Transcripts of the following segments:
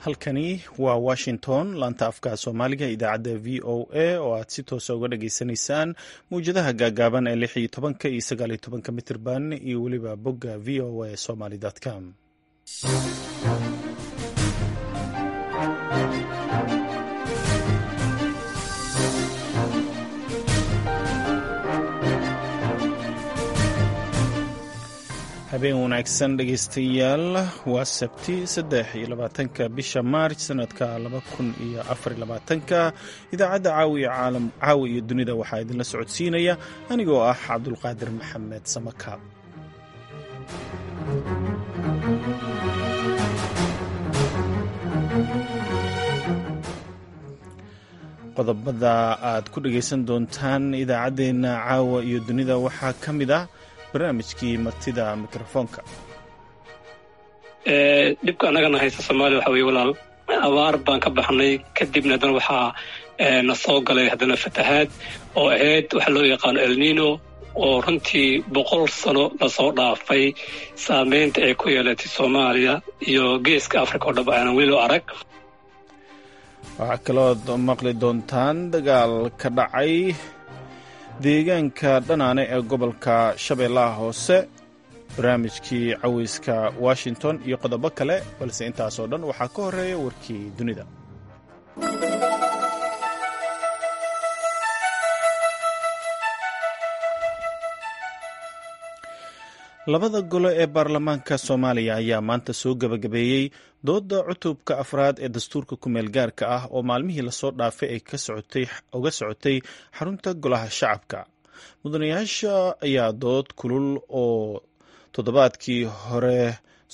Halkani waa Washington, laanta afka Soomaaliga, idaacadda VOA oo aad si toosa uga dhageysanaysaan mawjadaha gaagaaban ee 16 iyo 19 mitirban iyo weliba bogga voasomali com. Habeen wanaagsan dhegeystayaal, waa Sabti 23-ka bisha Maarj sanadka 2024-ka. Idaacadda Caawi iyo Dunida waxaa idinla socodsiinaya anigoo ah Cabdulqaadir Maxamed Samakaab. Qodobada aad ku dhegeysan doontaan idaacaddeenna Caawa iyo Dunida waxaa ka mid ah barnaamijkii martida mikrofoonka. Dhibka annagana haysta Soomaaliya waxa weye, walaal, abaar baan ka baxnay, kadibna haddana waxaa na soo galay haddana fatahaad oo ahayd waxa loo yaqaano Elnino, oo runtii 100 sano lasoo dhaafay saameynta ay ku yeelatay Soomaaliya iyo Geeska Africa oo dhab aanan weli loo arag. Waxaa kalood maqli doontaan dagaal ka dhacay deegaanka Dhanaane ee gobolka Shabeellaha Hoose, barnaamijkii Caweyska Washington iyo qodobo kale, balse intaasoo dhan waxaa ka horeeya warkii dunida. Labada gole ee baarlamaanka Soomaaliya ayaa maanta soo gebagabeeyey dooda cutubka afraad ee dastuurka kumeel gaarka ah oo maalmihii lasoo dhaafay ay uga socotay xarunta Golaha Shacabka. Mudanayaasha ayaa dood kulul oo toddobaadkii hore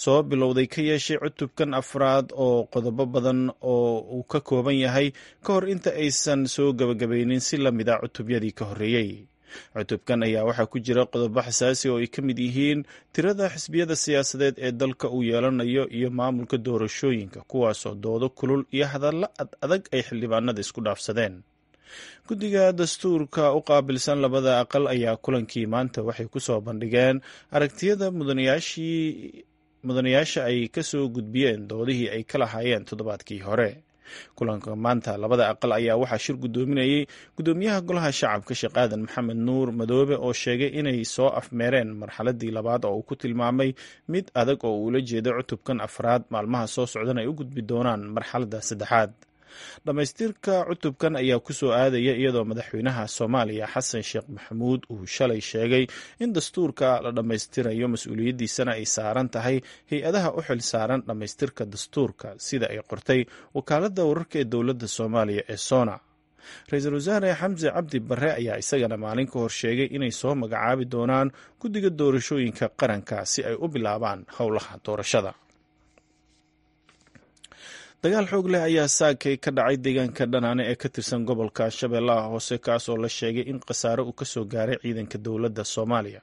soo bilowday ka yeeshay cutubkan afraad oo qodobo badan oo uu ka kooban yahay ka hor inta aysan soo gebagabaynin si la mida cutubyadii ka horreeyey. Cutubkan ayaa waxaa ku jira qodobo xasaasi oo ay ka mid yihiin tirada xisbiyada siyaasadeed ee dalka uu yeelanayo iyo maamulka doorashooyinka, kuwaasoo doodo kulul iyo hadallo ad adag ay xildhibaanada isku dhaafsadeen. Guddiga dastuurka u qaabilsan labada aqal ayaa kulankii maanta waxay ku soo bandhigeen aragtiyada mudanayaasha ay kasoo gudbiyeen doodihii ay ka lahaayeen toddobaadkii hore. Kulanka maanta labada aqal ayaa waxaa shir guddoominayey guddoomiyaha Golaha Shacabka, Sheekh Aadan Maxamed Nuur Madoobe, oo sheegay inay soo afmeereen marxaladii labaad oo uu ku tilmaamay mid adag oo uula jeedo cutubkan afraad, maalmaha soo socdan ay u gudbi doonaan marxaladda saddexaad. Dhammaystirka cutubkan ayaa ku soo aadaya iyadoo madaxweynaha Soomaaliya, Xasan Sheekh Maxamuud, uu shalay sheegay in dastuurka la dhammaystirayo, mas-uuliyaddiisana ay saaran tahay hay-adaha u xil saaran dhammaystirka dastuurka, sida ay qortay wakaaladda wararka ee dowladda Soomaaliya ee SONA. Ra-iisul wasaare Xamse Cabdi Barre ayaa isagana maalin ka hor sheegay inay soo magacaabi doonaan guddiga doorashooyinka qaranka si ay u bilaabaan howlaha doorashada. Dagaal xoog leh ayaa saakay ka dhacay deegaanka Dhanaane ee ka tirsan gobolka Shabeellaha Hoose, kaasoo la sheegay in khasaare uu kasoo gaaray ciidanka dowladda Soomaaliya.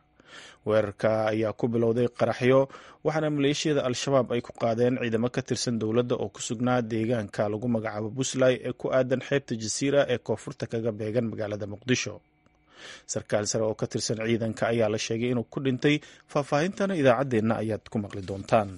Weerarka ayaa ku bilowday qaraxyo, waxaana maleeshiyada Al-Shabaab ay ku qaadeen ciidamo ka tirsan dowladda oo ku sugnaa deegaanka lagu magacaabo Buslay ee ku aadan xeebta Jasiira ee koonfurta kaga beegan magaalada Muqdisho. Sarkaal sare oo ka tirsan ciidanka ayaa la sheegay inuu ku dhintay. Faahfaahintana idaacaddeenna ayaad ku maqli doontaan.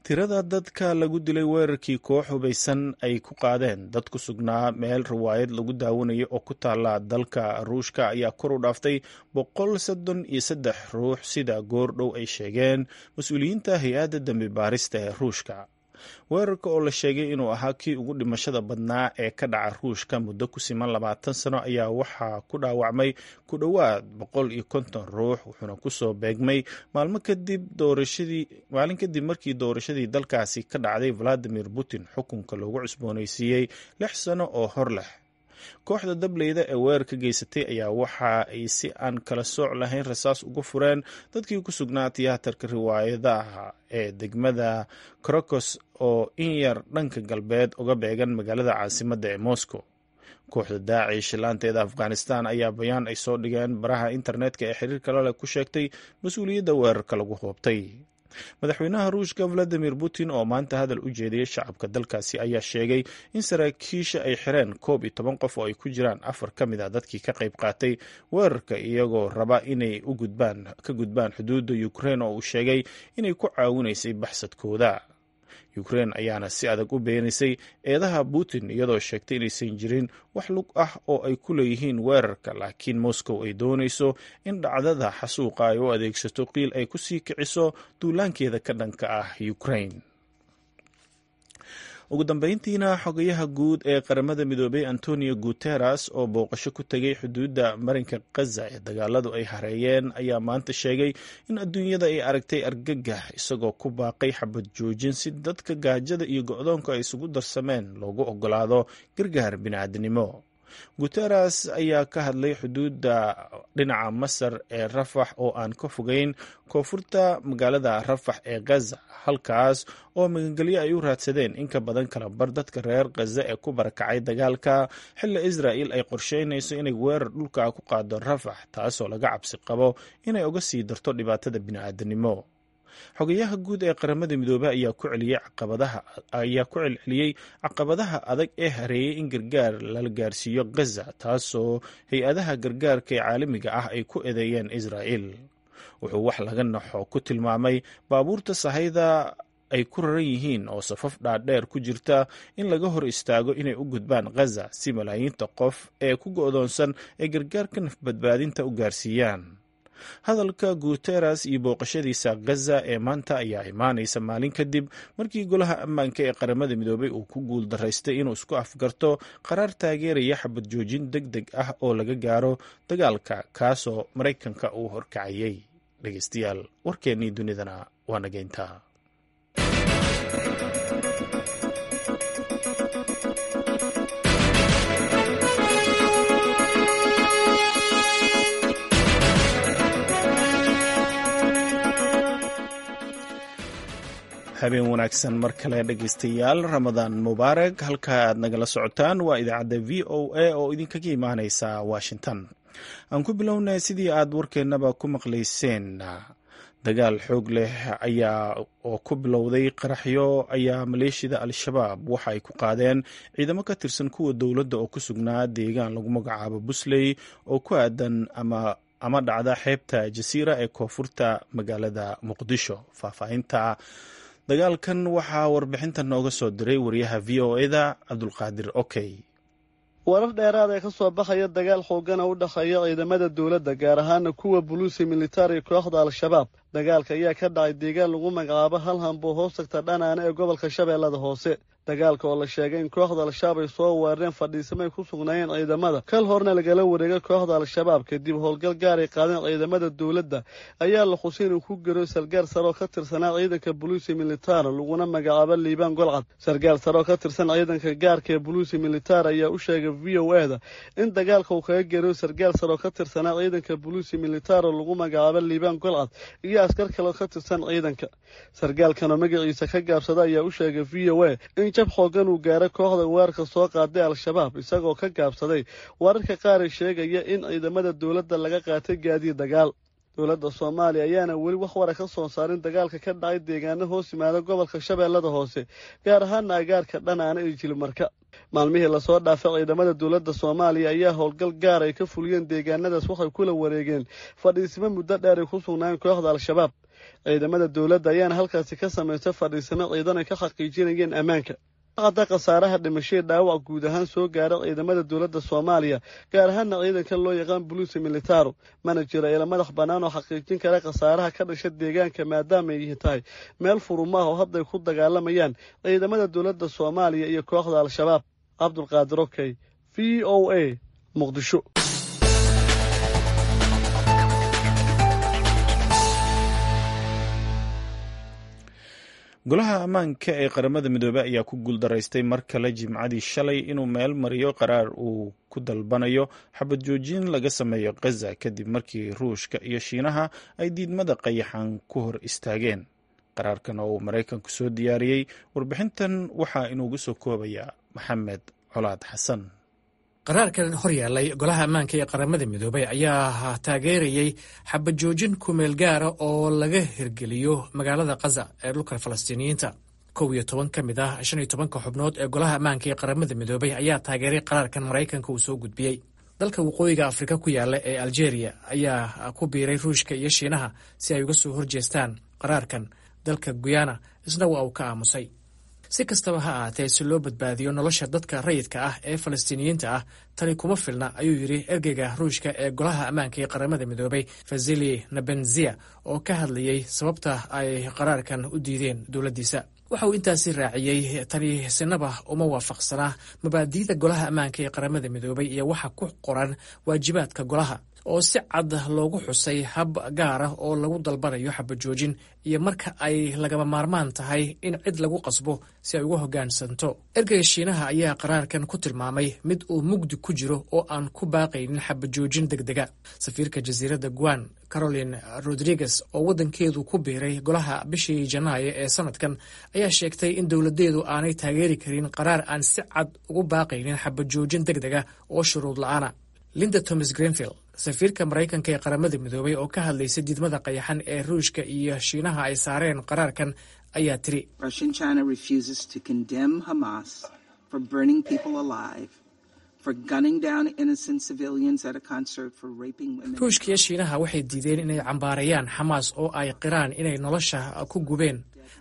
Tirada dadka lagu dilay weerarkii koox hubaysan ay ku qaadeen dad ku sugnaa meel riwaayad lagu daawanayo oo ku taala dalka Ruushka ayaa kor u dhaaftay 133 ruux, sida goor dhow ay sheegeen mas-uuliyiinta hay-adda dambi baarista ee Ruushka. Weerarka oo la sheegay inuu ahaa kii ugu dhimashada badnaa ee ka dhaca Ruushka muddo ku siman 20 sano ayaa waxaa ku dhaawacmay ku dhowaad 150 ruux, wuxuuna kusoo beegmay maalmo kadib doorashadii maalin kadib markii doorashadii dalkaasi ka dhacday Valadimir Putin xukunka loogu cusboonaysiiyey 6 sano oo hor leh. Kooxda dableyda ee weerarka geysatay ayaa waxa ay si aan kala sooc lahayn rasaas uga fureen dadkii ku sugnaa tiyaatarka riwaayadaha ee degmada Crocos oo in yar dhanka galbeed uga beegan magaalada caasimadda ee Moscow. Kooxda Daacish laanteeda Afghanistan ayaa bayaan ay soo dhigeen baraha internetka ee xiriirka laleh ku sheegtay mas-uuliyadda weerarka lagu hoobtay. Madaxweynaha Ruushka Valadimir Putin oo maanta hadal u jeediyey shacabka dalkaasi ayaa sheegay in saraakiisha ay xireen 11 qof oo ay ku jiraan afar ka mid a dadkii ka qayb qaatay weerarka, iyagoo raba inay ka gudbaan xuduudda Ukraine oo uu sheegay inay ku caawinaysay baxsadkooda. Ukrein ayaana si adag u beenisay eedaha Putin, iyadoo sheegtay inaysan jirin wax lug ah oo ay ku leeyihiin weerarka, laakiin Moscow ay doonayso in dhacdada xasuuqa ay u adeegsato qiil ay ku sii kiciso duulaankeeda ka dhanka ah Ukrain. Ugu dambeyntiina, xogayaha guud ee Qaramada Midoobay Antonio Guteres oo booqasho ku tegay xuduudda marinka Khaza ee dagaaladu ay hareeyeen ayaa maanta sheegay in adduunyada ay aragtay argagax, isagoo ku baaqay xabad joojin si dadka gaajada iyo go-doonka ay isugu darsameen loogu ogolaado gargaar bini'aadnimo. Guteres ayaa ka hadlay xuduudda dhinaca Masar ee Rafax oo aan ka fogeyn koonfurta magaalada Rafax ee Khaza, halkaas oo magangelyo ay u raadsadeen in ka badan kala bar dadka reer Khaza ee ku barakacay dagaalka, xilli Israa'il ay qorsheynayso inay weerar dhulka ku qaado Rafax, taasoo laga cabsi qabo inay uga sii darto dhibaatada bini'aadanimo. Xogayaha guud ee Qaramada Midoobey ayaa ku celceliyey caqabadaha adag ee hareeyey in gargaar lala gaarsiiyo Khaza, taasoo hay-adaha gargaarka ee caalamiga ah ay ku eedeeyeen Israa'il. Wuxuu wax laga naxo ku tilmaamay baabuurta sahayda ay ku raran yihiin oo safaf dhaadheer ku jirta in laga hor istaago inay u gudbaan Khaza si malaayiinta qof ee ku go'doonsan ay gargaarka nafbadbaadinta u gaarsiiyaan. Hadalka Guteres iyo booqashadiisa Khaza ee maanta ayaa imaanaysa maalin kadib markii Golaha Ammaanka ee Qaramada Midoobey uu ku guul daraystay inuu isku afgarto qaraar taageeraya xabad joojin deg deg ah oo laga gaaro dagaalka, kaasoo Maraykanka uu horkacayay. Dhegeystayaal, warkeennii dunidana waa nageyntaa. Habeen wanaagsan mar kale dhegeystayaal, Ramadaan mubaarak. Halka aad nagala socotaan waa idaacadda VOA oo idinkaga imaaneysa Washington. Aan ku bilownay, sidii aad warkeennaba ku maqlayseen, dagaal xoog leh ayaa oo ku bilowday qaraxyo ayaa maleeshiyada Al-Shabaab waxa ay ku qaadeen ciidamo ka tirsan kuwa dowladda oo ku sugnaa deegaan lagu magacaabo Busley oo ku aadan ama dhacda xeebta Jasiira ee koonfurta magaalada Muqdisho. Faahfaahinta dagaalkan waxaa warbixinta nooga soo diray wariyaha VOA-da Cabdulqaadir Okey. Warar dheeraad ee ka soo baxaya dagaal xoogana u dhexeeya ciidamada dowladda, gaar ahaana kuwa buluusi militari, kooxda Al-Shabaab. Dagaalka ayaa ka dhacay deegaan lagu magacaabo Halhanbo, hoos tagta Dhanaane ee gobolka Shabeellada Hoose. Dagaalka oo la sheegay in kooxda Al-Shabaab ay soo weerareen fadhiisamo ay ku sugnaayeen ciidamada, kal horna lagala wareegay kooxda Al-Shabaab kadib howlgal gaar ay qaadeen ciidamada dowladda, ayaa la xusay inuu ku garo sargaal sare oo ka tirsanaa ciidanka buluusi militara, laguna magacaabo Liibaan Golcad. Sargaal sare oo ka tirsan ciidanka gaarka ee buluusi militar ayaa u sheegay VOA-da in dagaalka uu kaga geriyo sargaal sare oo ka tirsanaa ciidanka buluusi militaro, lagu magacaabo Liibaan Golcad, iyo askar kale oo ka tirsan ciidanka. Sargaalkan oo magaciisa ka gaabsada ayaa u sheegay VOA in jab xoogan uu gaaro kooxda weerarka soo qaaday Al-Shabaab, isagoo ka gaabsaday wararka qaar ee sheegaya in ciidamada dowladda laga qaatay gaadiid dagaal. Dowladda Soomaaliya ayaana weli wax wara ka soo saarin dagaalka ka dhacay deegaano hoos yimaada gobolka Shabeellada Hoose, gaar ahaana agaarka Dhanaana iyo Jilimarka. Maalmihii lasoo dhaafay, ciidamada dowladda Soomaaliya ayaa howlgal gaar ay ka fuliyeen deegaanadaas waxay kula wareegeen fadhiisimo muddo dheer ay ku sugnaayeen kooxda Al-Shabaab. Ciidamada dowladda ayaana halkaasi ka samaystay fadhiisimo ciidan ay ka xaqiijinayeen ammaanka. Cadda khasaaraha dhimashadii dhaawac guud ahaan soo gaara ciidamada dowladda Soomaaliya, gaar ahaana ciidanka loo yaqaan buluusi militaro. Mana jiro ila madax bannaan oo xaqiijin kara khasaaraha ka dhasha deegaanka, maadaama ay tahay meel furumaah oo hadday ku dagaalamayaan ciidamada dowladda Soomaaliya iyo kooxda Al-Shabaab. Cabdulqaadir Okey, VOA, Muqdisho. Golaha Ammaanka ee Qaramada Midoobey ayaa ku guuldaraystay mar kale Jimcadii shalay inuu meel mariyo qaraar uu ku dalbanayo xabad joojin laga sameeyo Khaza, kadib markii Ruushka iyo Shiinaha ay diidmada qayaxan ku hor istaageen qaraarkan oo uu Maraykanku soo diyaariyey. Warbixintan waxaa inuugu soo koobaya Maxamed Colaad Xasan. Qaraarkan hor yaallay Golaha Ammaanka ee Qaramada Midoobay ayaa taageerayey xabad joojin kumeel gaara oo laga hirgeliyo magaalada Khaza ee dhulka Falastiiniyiinta. 11 ka mid ah 15-ka xubnood ee Golaha Ammaanka ee Qaramada Midoobay ayaa taageeray qaraarkan Maraykanka uu soo gudbiyey. Dalka Waqooyiga Afrika ku yaalla ee Aljeeriya ayaa ku biiray Ruushka iyo Shiinaha si ay uga soo horjeestaan qaraarkan. Dalka Guyana isna waa uu ka aamusay. Si kastaba ha ahaatee, si loo badbaadiyo nolosha dadka rayidka ah ee Falastiiniyiinta ah, tani kuma filna, ayuu yidhi ergeyga Ruushka ee Golaha Ammaanka ee Qaramada Midoobay, Vasili Nebenzia, oo ka hadlayey sababta ay qaraarkan u diideen dowladdiisa. Waxa uu intaasi raaciyey: tani sinaba uma waafaqsanaa mabaadi'da Golaha Ammaanka ee Qaramada Midoobay iyo waxa ku qoran waajibaadka golaha, oo si cad loogu xusay hab gaar ah oo lagu dalbanayo xabajoojin iyo marka ay lagama maarmaan tahay in cid lagu qasbo si ay uga hoggaansanto. Ergeyga Shiinaha ayaa qaraarkan ku tilmaamay mid uu mugdi ku jiro oo aan ku baaqaynin xabajoojin deg dega. Safiirka jasiiradda Guan, Caroline Rodriguez, oo waddankeedu ku biiray golaha bishii Janaayo ee sanadkan, ayaa sheegtay in dowladeedu aanay taageeri karin qaraar aan si cad ugu baaqaynin xabajoojin deg dega oo shuruud la-aana. Linda Thomas Greenfield, safiirka Maraykanka ee Qaramada Midoobay, oo ka hadlaysay diidmada qayaxan ee Ruushka iyo Shiinaha ay saareen qaraarkan, ayaa tiri: Ruushka iyo Shiinaha waxay diideen inay cambaarayaan Xamaas oo ay qiraan inay nolosha ku gubeen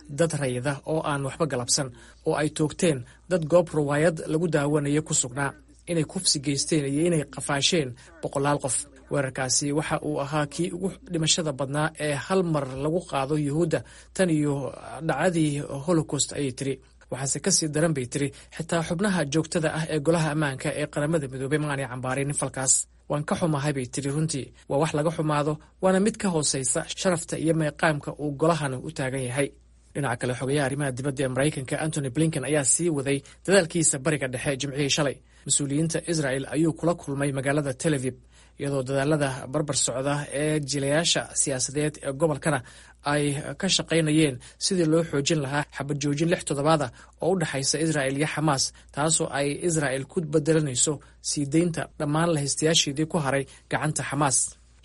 dad rayida oo aan waxba galabsan, oo ay toogteen dad goob ruwaayad lagu daawanayo ku sugnaa, inay kufsi geysteen iyo inay qafaasheen boqolaal qof. Weerarkaasi waxa uu ahaa kii ugu dhimashada badnaa ee hal mar lagu qaado Yuhuudda tan iyo dhacdadii Holocaust, ayay tiri. Waxaase kasii daran, bay tiri, xitaa xubnaha joogtada ah ee Golaha Ammaanka ee Qaramada Midoobey ma aanay cambaarinin falkaas. Waan ka xumahay, bay tiri. Runtii waa wax laga xumaado, waana mid ka hooseysa sharafta iyo meeqaamka uu golahan u taagan yahay. Dhinaca kale, xogayaha arrimaha dibadda ee Maraykanka Antony Blinken ayaa sii waday dadaalkiisa Bariga Dhexe Jimcihii shalay. Mas-uuliyiinta Israel ayuu kula kulmay magaalada Tel Aviv, iyadoo dadaalada barbar socda ee jilayaasha siyaasadeed ee gobolkana ay ka shaqaynayeen sidii loo xoojin lahaa xabad joojin 6 toddobaada oo u dhexaysa Israel iyo Xamaas, taasoo ay Israel ku bedelanayso sii deynta dhammaan lahaystayaasheedii ku haray gacanta Xamaas.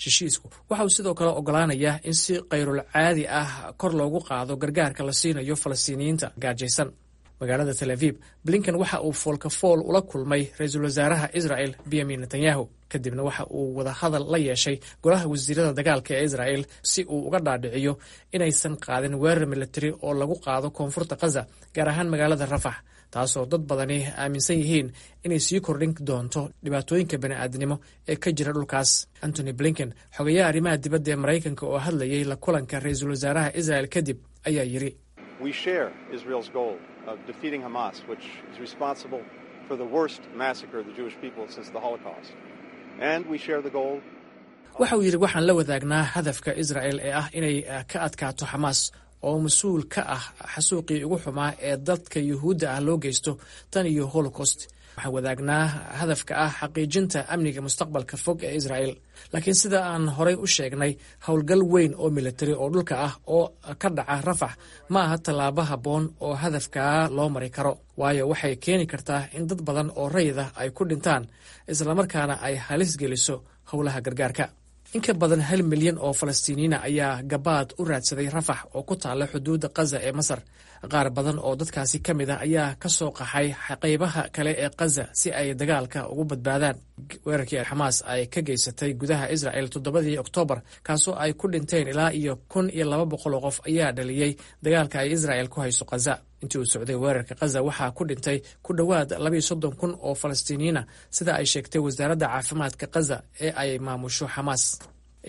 Heshiisku waxa uu sidoo kale ogolaanayaa in si khayrul caadi ah kor loogu qaado gargaarka la siinayo Falastiiniyiinta gaajaysan. Magaalada Tel Aviv, Blinken waxa uu foolka fool ula kulmay ra-iisul wasaaraha Israel Benyamin Netanyahu, kadibna waxa uu wadahadal la yeeshay golaha wasiirada dagaalka ee Israel si uu uga dhaadhiciyo inaysan qaadin weerar militari oo lagu qaado koonfurta Khaza, gaar ahaan magaalada Rafax, taasoo dad badani aaminsan yihiin inay sii kordhin doonto dhibaatooyinka bani'aadnimo ee ka jira dhulkaas. Antony Blinken, xogayaha arrimaha dibadda ee Maraykanka, oo hadlayay la kulanka ra-iisul wasaaraha Israel kadib, ayaa yidhi: Of defeating Hamas, which is responsible for the worst massacre of the Jewish people since the Holocaust. And we share the goal. Waxa uu yidhi: waxaan la wadaagnaa hadafka Israel ee ah inay ka adkaato Xamaas, oo mas-uul ka ah xasuuqii ugu xumaa ee dadka Yuhuudda ah loo geysto tan iyo Holocaust. Waxaan wadaagnaa hadafka ah xaqiijinta amniga mustaqbalka fog ee Israel. Laakiin sida aan horay u sheegnay, howlgal weyn oo militari oo dhulka ah oo ka dhaca Rafax ma aha tallaabo habboon oo hadafkaa loo mari karo, waayo waxay keeni kartaa in dad badan oo rayid ah ay ku dhintaan, islamarkaana ay halis geliso howlaha gargaarka. In ka badan 1 milyan oo Falastiiniyiina ayaa gabaad u raadsaday Rafax oo ku taalla xuduudda Khaza ee Masar. Qaar badan oo dadkaasi ka mid ah ayaa ka soo qaxay qaybaha kale ee Khaza si ay dagaalka ugu badbaadaan. Weerarkii Xamaas ay ka geysatay gudaha Israel 7-dii Oktoobar, kaasoo ay ku dhinteen ilaa iyo 1200 oo qof, ayaa dhaliyey dagaalka ay Israel ku hayso Khaza. Intii uu socday weerarka Khaza waxaa ku dhintay ku dhowaad 32,000 oo Falastiiniyiina, sida ay sheegtay wasaaradda caafimaadka Khaza ee ay maamusho Xamaas.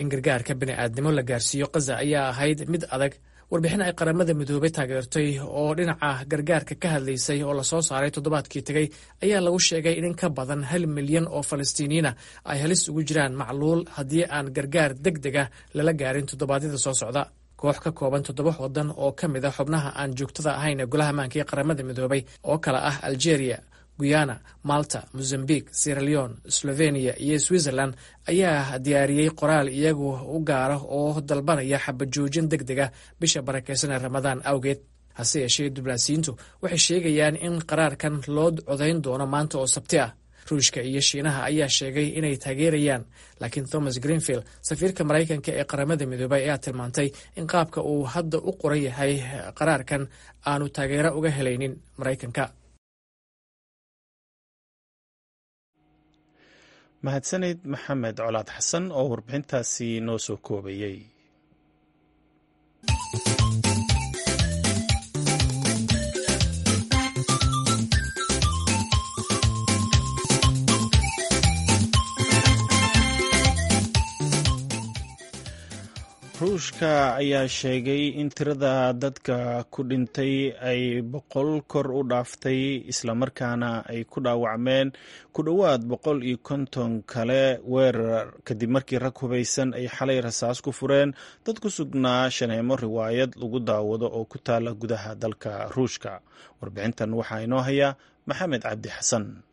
In gargaarka bini'aadnimo la gaarsiiyo Khaza ayaa ahayd mid adag. Warbixin ay Qaramada Midoobay taageertay oo dhinaca gargaarka ka hadlaysay oo lasoo saaray toddobaadkii tegey ayaa lagu sheegay in in ka badan 1 milyan oo Falastiiniyiina ay halis ugu jiraan macluul haddii aan gargaar deg dega lala gaarin toddobaadyada soo socda. Koox ka kooban toddoba wadan oo ka mid a xubnaha aan joogtada ahayn ee Golaha Ammaanka ee Qaramada Midoobay, oo kala ah Algeria, Guyana, Malta, Mozambique, Sierra Leone, Slovenia iyo Switzerland, ayaa diyaariyey qoraal iyagu u gaara oo dalbanaya xabajoojin deg dega bisha barakeysan ee Ramadaan awgeed. Hase yeeshee, diblaasiyiintu waxay sheegayaan in qaraarkan loo codayn doono maanta oo Sabti ah. Ruushka iyo Shiinaha ayaa sheegay inay taageerayaan, laakiin Thomas Greenfield, safiirka Maraykanka ee Qaramada Midoobay, ayaa tilmaantay in qaabka uu hadda u qoran yahay qaraarkan aanu taageero uga helaynin Maraykanka. Mahadsanid Maxamed Colaad Xasan oo warbixintaasi noo soo koobayey. Ruushka ayaa sheegay in tirada dadka ku dhintay ay 100 kor u dhaaftay, islamarkaana ay ku dhaawacmeen ku dhowaad 150 kale weerar, kadib markii rag hubaysan ay xalay rasaas ku fureen dad ku sugnaa shaneemo riwaayad lagu daawado oo ku taala gudaha dalka Ruushka. Warbixintan waxaa inoo haya Maxamed Cabdi Xasan.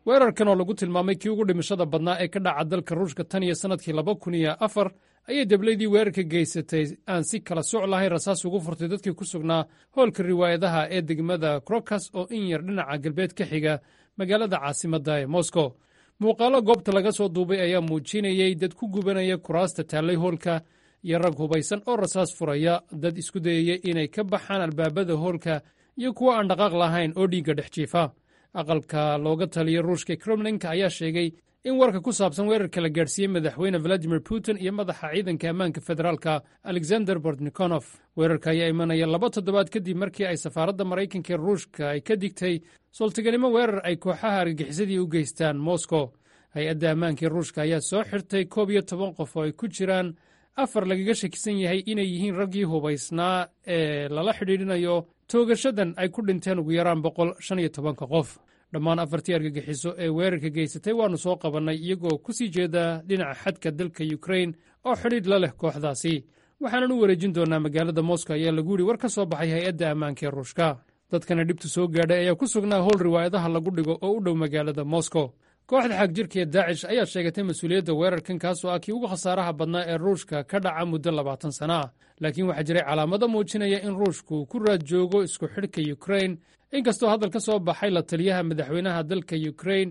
Weerarkan oo lagu tilmaamay kii ugu dhimashada badnaa ee ka dhaca dalka Ruushka tan iyo sannadkii 2004 ayay deblaydii weerarka geysatay aan si kala soc lahayn rasaas ugu furtay dadkii ku sugnaa hoolka riwaayadaha ee degmada Krokas oo in yar dhinaca galbeed ka xiga magaalada caasimadda ee Moscow. Muuqaallo goobta laga soo duubay ayaa muujinayey dad ku gubanaya kuraasta taallay hoolka iyo rag hubaysan oo rasaas furaya, dad isku dayaya inay ka baxaan albaabada hoolka iyo kuwo aan dhaqaaq lahayn oo dhiigga dhex jiifa. Aqalka looga taliya Ruushka, Kremlinka, ayaa sheegay in warka ku saabsan weerarka la gaadhsiiyey Madaxweyne Valadimir Putin iyo madaxa ciidanka ammaanka federaalka Alexander Bortnikonof. Weerarka ayaa imanaya 2 toddobaad kadib markii ay safaaradda Maraykanka ee Ruushka ay ka digtay sooltaganimo weerar ay kooxaha argagixisadii u geystaan Moscow. Hay-adda ammaanka ee Ruushka ayaa soo xirtay 11 qof oo ay ku jiraan afar lagaga shakisan yahay inay yihiin raggii hubaysnaa ee lala xidhiidhinayo toogashadan ay ku dhinteen ugu yaraan 115-ka qof. Dhammaan afartii argagixiso ee weerarka geysatay waannu soo qabannay iyagoo ku sii jeeda dhinaca xadka dalka Yukrain oo xidhiidh la leh kooxdaasi, waxaanan u wareejin doonaa magaalada Moscow, ayaa lagu yidhi war ka soo baxay hay-adda ammaanka ee Ruushka. Dadkana dhibtu soo gaadhay ayaa ku sugnaa howl riwaayadaha lagu dhigo oo u dhow magaalada Moscow. Kooxda xagjirka ee Daacish ayaa sheegatay mas-uuliyadda weerarkan, kaasoo ah kii ugu khasaaraha badnaa ee Ruushka ka dhaca muddo 20 sana ah. Laakiin waxaa jiray calaamado muujinaya in Ruushku ku raad joogo isku xidhka Yukrain, inkastoo hadal ka soo baxay la taliyaha madaxweynaha dalka Yukrain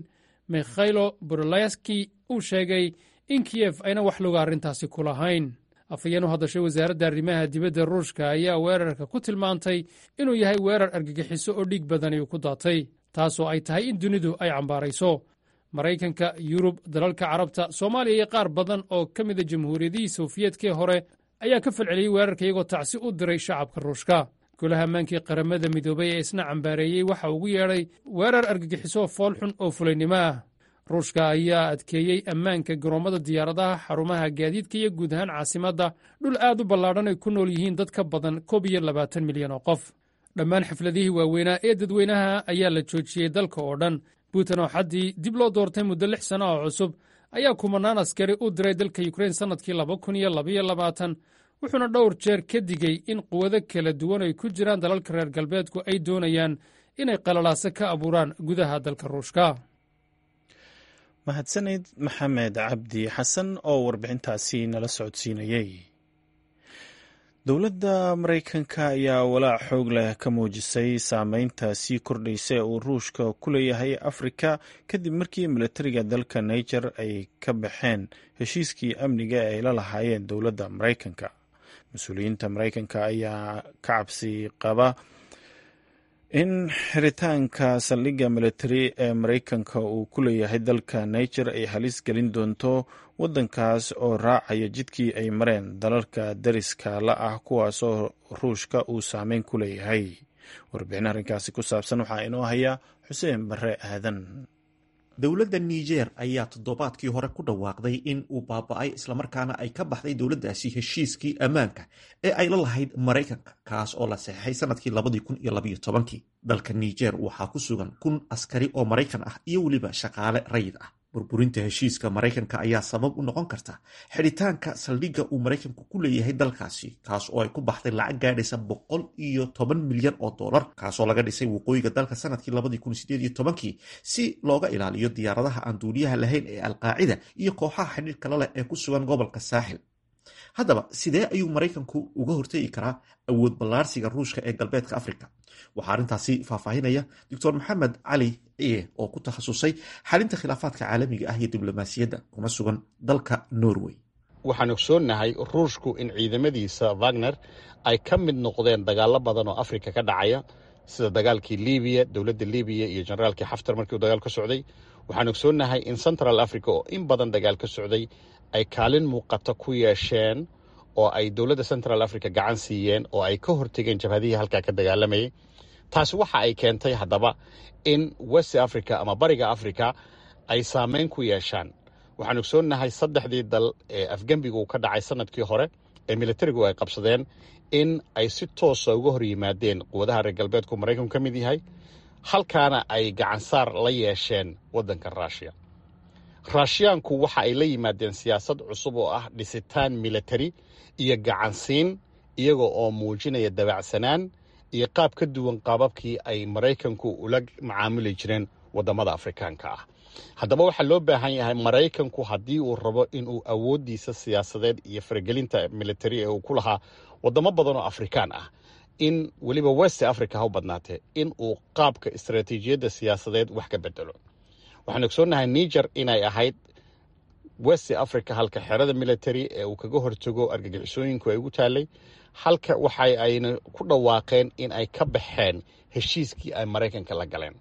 Mikhailo Borolaski uu sheegay in Kiyef ayna wax luga arrintaasi ku lahayn. Afhayeen u hadashay wasaaradda arrimaha dibadda Ruushka ayaa weerarka ku tilmaantay inuu yahay weerar argagixiso oo dhiig badani uu ku daatay, taasoo ay tahay in dunidu ay cambaarayso. Maraykanka, Yurub, dalalka Carabta, Soomaaliya iyo qaar badan oo ka mida jamhuuriyadihii Sofiyeedkii hore ayaa ka falceliyey weerarka, iyagoo tacsi u diray shacabka Ruushka. Golaha ammaankii Qaramada Midoobay ee isna cambaareeyey waxa ugu yeedhay weerar argagixiso foolxun oo fulaynimo ah. Ruushka ayaa adkeeyey ammaanka garoommada diyaaradaha, xarumaha gaadiidka iyo guud ahaan caasimadda, dhul aad u ballaadhan ay ku nool yihiin dad ka badan 21 milyan oo qof. Dhammaan xafladihii waaweynaa ee dadweynaha ayaa la joojiyey dalka oo dhan. Putin oo xaddii dib loo doortay muddo 6 sano oo cusub ayaa kumanaan askari u diray dalka Yukrain sannadkii 2022, wuxuuna dhowr jeer ka digey in quwado kala duwan ay ku jiraan dalalka reer galbeedku ay doonayaan inay qalalaaso ka abuuraan gudaha dalka Ruushka. Mahadsanid Maxamed Cabdi Xasan oo warbixintaasi nala socodsiinayey. Dowladda Maraykanka ayaa walaac xoog leh ka muujisay saameynta sii kordhaysa ee uu Ruushka ku leeyahay Afrika, kadib markii milatariga dalka Niger ay ka baxeen heshiiskii amniga ee ay la lahaayeen dowladda Maraykanka. Mas-uuliyiinta Maraykanka ayaa ka cabsi qaba in xiritaanka saldhigga militari ee Maraykanka uu ku leeyahay dalka Niger ay halis gelin doonto waddankaas oo raacaya jidkii ay mareen dalalka dariska la ah, kuwaasoo Ruushka uu saameyn ku leeyahay. Warbixin arrinkaasi ku saabsan waxaa inoo haya Xuseen Barre Aadan. Dowladda Niger ayaa toddobaadkii hore ku dhawaaqday in uu baaba'ay islamarkaana ay ka baxday dowladdaasi heshiiskii ammaanka ee ay la lahayd Maraykanka, kaas oo la saxeixay sanadkii 2012-kii. Dalka Niger waxaa ku sugan 1000 askari oo Maraykan ah iyo weliba shaqaale rayid ah. Burburinta heshiiska Maraykanka ayaa sabab u noqon karta xidhitaanka saldhigga uu Maraykanku ku leeyahay dalkaasi, kaas oo ay ku baxday lacag gaadhaysa 110 milyan oo dollar, kaasoo laga dhisay waqooyiga dalka sanadkii 2018-kii si looga ilaaliyo diyaaradaha aan duuliyaha lahayn ee Alqaacida iyo kooxaha xidhiirka la leh ee ku sugan gobolka Saaxil. Haddaba, sidee ayuu Maraykanku uga hortegi karaa awood ballaarsiga Ruushka ee galbeedka Africa? Waxaa arrintaasi faahfaahinaya Doctor Maxamed Cali Ciye oo ku takhasusay xalinta khilaafaadka caalamiga ah iyo diblomaasiyadda, kuna sugan dalka Norway. Waxaan ogsoonnahay Ruushku in ciidamadiisa Wagner ay ka mid noqdeen dagaallo badan oo Afrika ka dhacaya, sida dagaalkii Libiya, dowladda Libiya iyo generaalkii Xaftar markii uu dagaal ka socday. Waxaan ogsoonnahay in Central Africa oo in badan dagaal ka socday ay kaalin muuqata ku yeesheen oo ay dowladda Central Africa gacan siiyeen oo ay ka hortegeen jabhadihii halkaa ka dagaalamayay. Taasi waxa ay keentay haddaba in West Africa ama Bariga Africa ay saameyn ku yeeshaan. Waxaan ogsoonnahay saddexdii dal ee afgembigu uu ka dhacay sanadkii hore ee militarigu ay qabsadeen in ay si toosa uga hor yimaadeen quwadaha reer galbeedku Maraykanku ka mid yahay, halkaana ay gacansaar la yeesheen waddanka Ruushiya. Raashiyaanku waxa ay la yimaadeen siyaasad cusub oo ah dhisitaan militari iyo gacansiin, iyaga oo muujinaya dabacsanaan iyo qaab ka duwan qaababkii ay Maraykanku ula macaamuli jireen waddamada Afrikaanka ah. Haddaba waxaa loo baahan yahay Maraykanku haddii uu rabo inuu awooddiisa siyaasadeed iyo faragelinta militari ee uu ku lahaa waddamo badan oo Afrikaan ah, in weliba West Africa ha u badnaatee, in uu qaabka istaraatiijiyadda siyaasadeed wax ka bedelo. Waxaan ogsoonnahay Niger inay ahayd West Africa halka xerada military ee uu kaga hortago argagixisooyinku ay ugu taalay, halka waxa ayna ku dhawaaqeen in ay ka baxeen heshiiskii ay Maraykanka la galeen.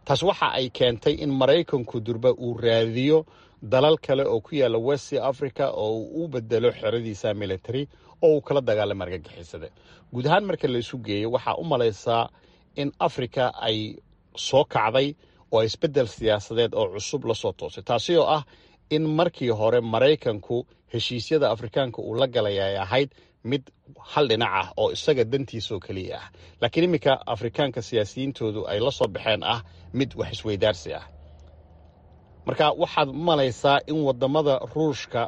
Taas waxa ay keentay in Maraykanku durba uu raadiyo dalal kale oo ku yaalla West Africa oo uu u bedelo xeradiisa military oo uu kala dagaalamo argagixisada. Guud ahaan marka la isu geeyo, waxaa u malaysaa in Africa ay soo kacday oo isbeddel siyaasadeed oo cusub la soo toosay, taasi oo ah in markii hore Maraykanku heshiisyada Afrikaanka uu la galay ay ahayd mid hal dhinac ah oo isaga dantiisaoo keliya ah, laakiin iminka Afrikaanka siyaasiyiintoodu ay la soo baxeen ah mid wax isweydaarsi ah. Marka waxaad malaysaa in waddamada Ruushka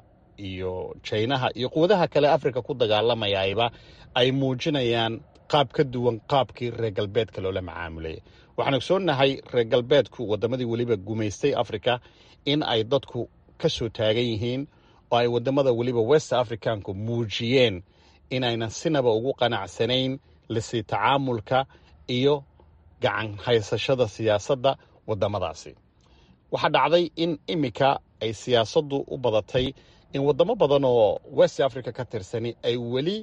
iyo Jaynaha iyo quwadaha kale Afrika ku dagaalamayayba ay muujinayaan qaab ka duwan qaabkii reer galbeedka loola macaamulayay. Waxaan ogsoonnahay reer galbeedku waddamadii weliba gumaystay Africa in ay dadku ka soo taagan yihiin oo ay waddamada weliba West Africanku muujiyeen in aynan sinaba ugu qanacsanayn lasi tacaamulka iyo gacan haysashada siyaasadda waddamadaasi. Waxaa dhacday in iminka ay siyaasaddu u badatay in waddamo badan oo West Africa ka tirsani ay weli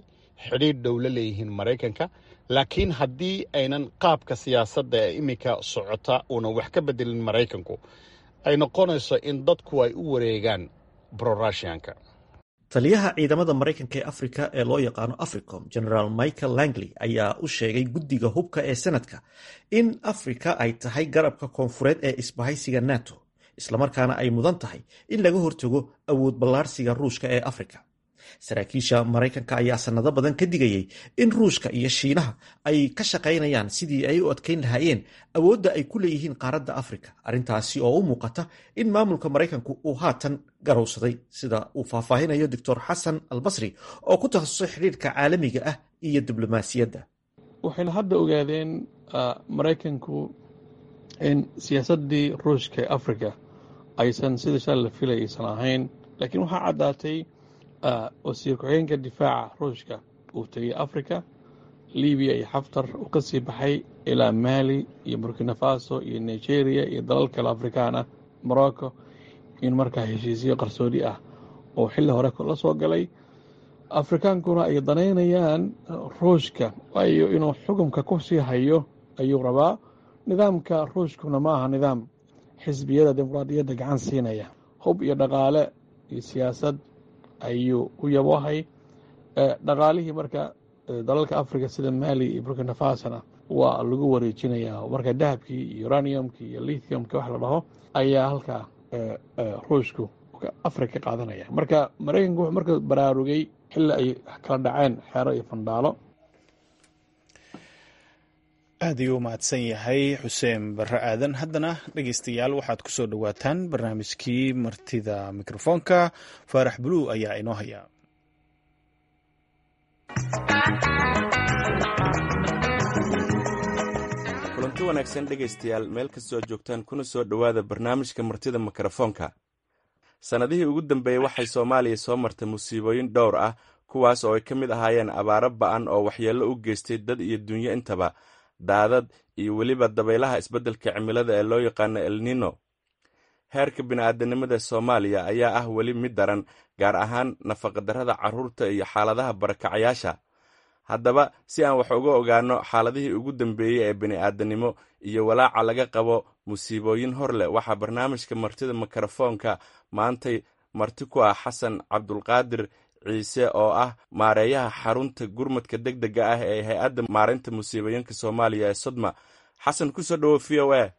xidhiidh dhow la leeyihiin Maraykanka, laakiin haddii aynan qaabka siyaasadda ee iminka socota uunan wax ka bedelin Maraykanku, ay noqonayso in dadku ay u wareegaan brorushianka. Taliyaha ciidamada Maraykanka ee Afrika ee loo yaqaano Africom, Generaal Michael Langley, ayaa u sheegay guddiga hubka ee Senadka in Afrika ay tahay garabka koonfureed ee isbahaysiga NATO, islamarkaana ay mudan tahay in laga hortago awood ballaarsiga Ruushka ee Afrika. Saraakiisha Maraykanka ayaa sanado badan ka digayay in Ruushka iyo Shiinaha ay ka shaqaynayaan sidii ay u adkeyn lahaayeen awoodda ay ku leeyihiin qaaradda Afrika, arrintaasi oo u muuqata in maamulka Maraykanku uu haatan garowsaday, sida uu faahfaahinayo Doctor Xasan Albasri oo ku takhasusay xidhiirka caalamiga ah iyo diblomaasiyadda. Waxayna hadda ogaadeen Maraykanku in siyaasaddii Ruushka ee Afrika aysan sida shalay la filay aysan ahayn, laakiin waxaa caddaatay wasiir ku-xigeenka difaaca Ruushka uu tegey Africa, Libiya iyo Xaftar uu ka sii baxay ilaa Maali iyo Burkina Faso iyo Nigeria iyo dalal kale Afrikaan ah, Morocco, in markaa heshiisyo qarsoodi ah oo xilli hore la soo galay. Afrikaankuna ay danaynayaan Ruushka, waayo inuu xukunka ku sii hayo ayuu rabaa. Nidaamka Ruushkuna ma aha nidaam xisbiyada dimuqraadiyadda gacan siinaya, hub iyo dhaqaale iyo siyaasad ayuu u yaboohay dhaqaalihii. Marka dalalka Africa sida Maali iyo Burkina Fasona waa lagu wareejinayaa marka dahabkii iyo uraniumkii iyo lithiumki wax la dhaho ayaa halkaa Ruushku Africa ka qaadanaya. Marka Maraykanku wuxuu marka baraarugay xilli ay kala dhaceen xeero iyo fandhaalo. Aad ayuu u mahadsan yahay Xuseen Barre Aadan. Haddana dhegeystayaal, waxaad ku soo dhowaataan barnaamijkii martida mikrofoonka. Faarax Buluu ayaa inoo haya. Kulanti wanaagsan dhegaystayaal, meel kastoo joogtaan, kuna soo dhowaada barnaamijka martida mikrofoonka. Sannadihii ugu dambeeyey waxay Soomaaliya soo martay musiibooyin dhowr ah, kuwaas oo ay ka mid ahaayeen abaaro ba'an oo waxyeello u geystay dad iyo dunyo intaba, daadad iyo weliba dabaylaha isbeddelka cimilada ee loo yaqaano Elnino. Heerka bini'aadanimada Soomaaliya ayaa ah weli mid daran, gaar ahaan nafaqadarrada carruurta iyo xaaladaha barakacayaasha. Haddaba si aan wax uga ogaanno xaaladihii ugu dambeeyey ee bini'aadanimo iyo walaaca laga qabo musiibooyin hor leh, waxaa barnaamijka martida mikrofoonka maantay marti ku ah Xasan Cabdulqaadir Ciise oo ah maareeyaha xarunta gurmadka deg dega ah ee hay-adda maareynta musiibooyinka Soomaaliya ee SODMA. Xasan, kusoo dhowo VOA.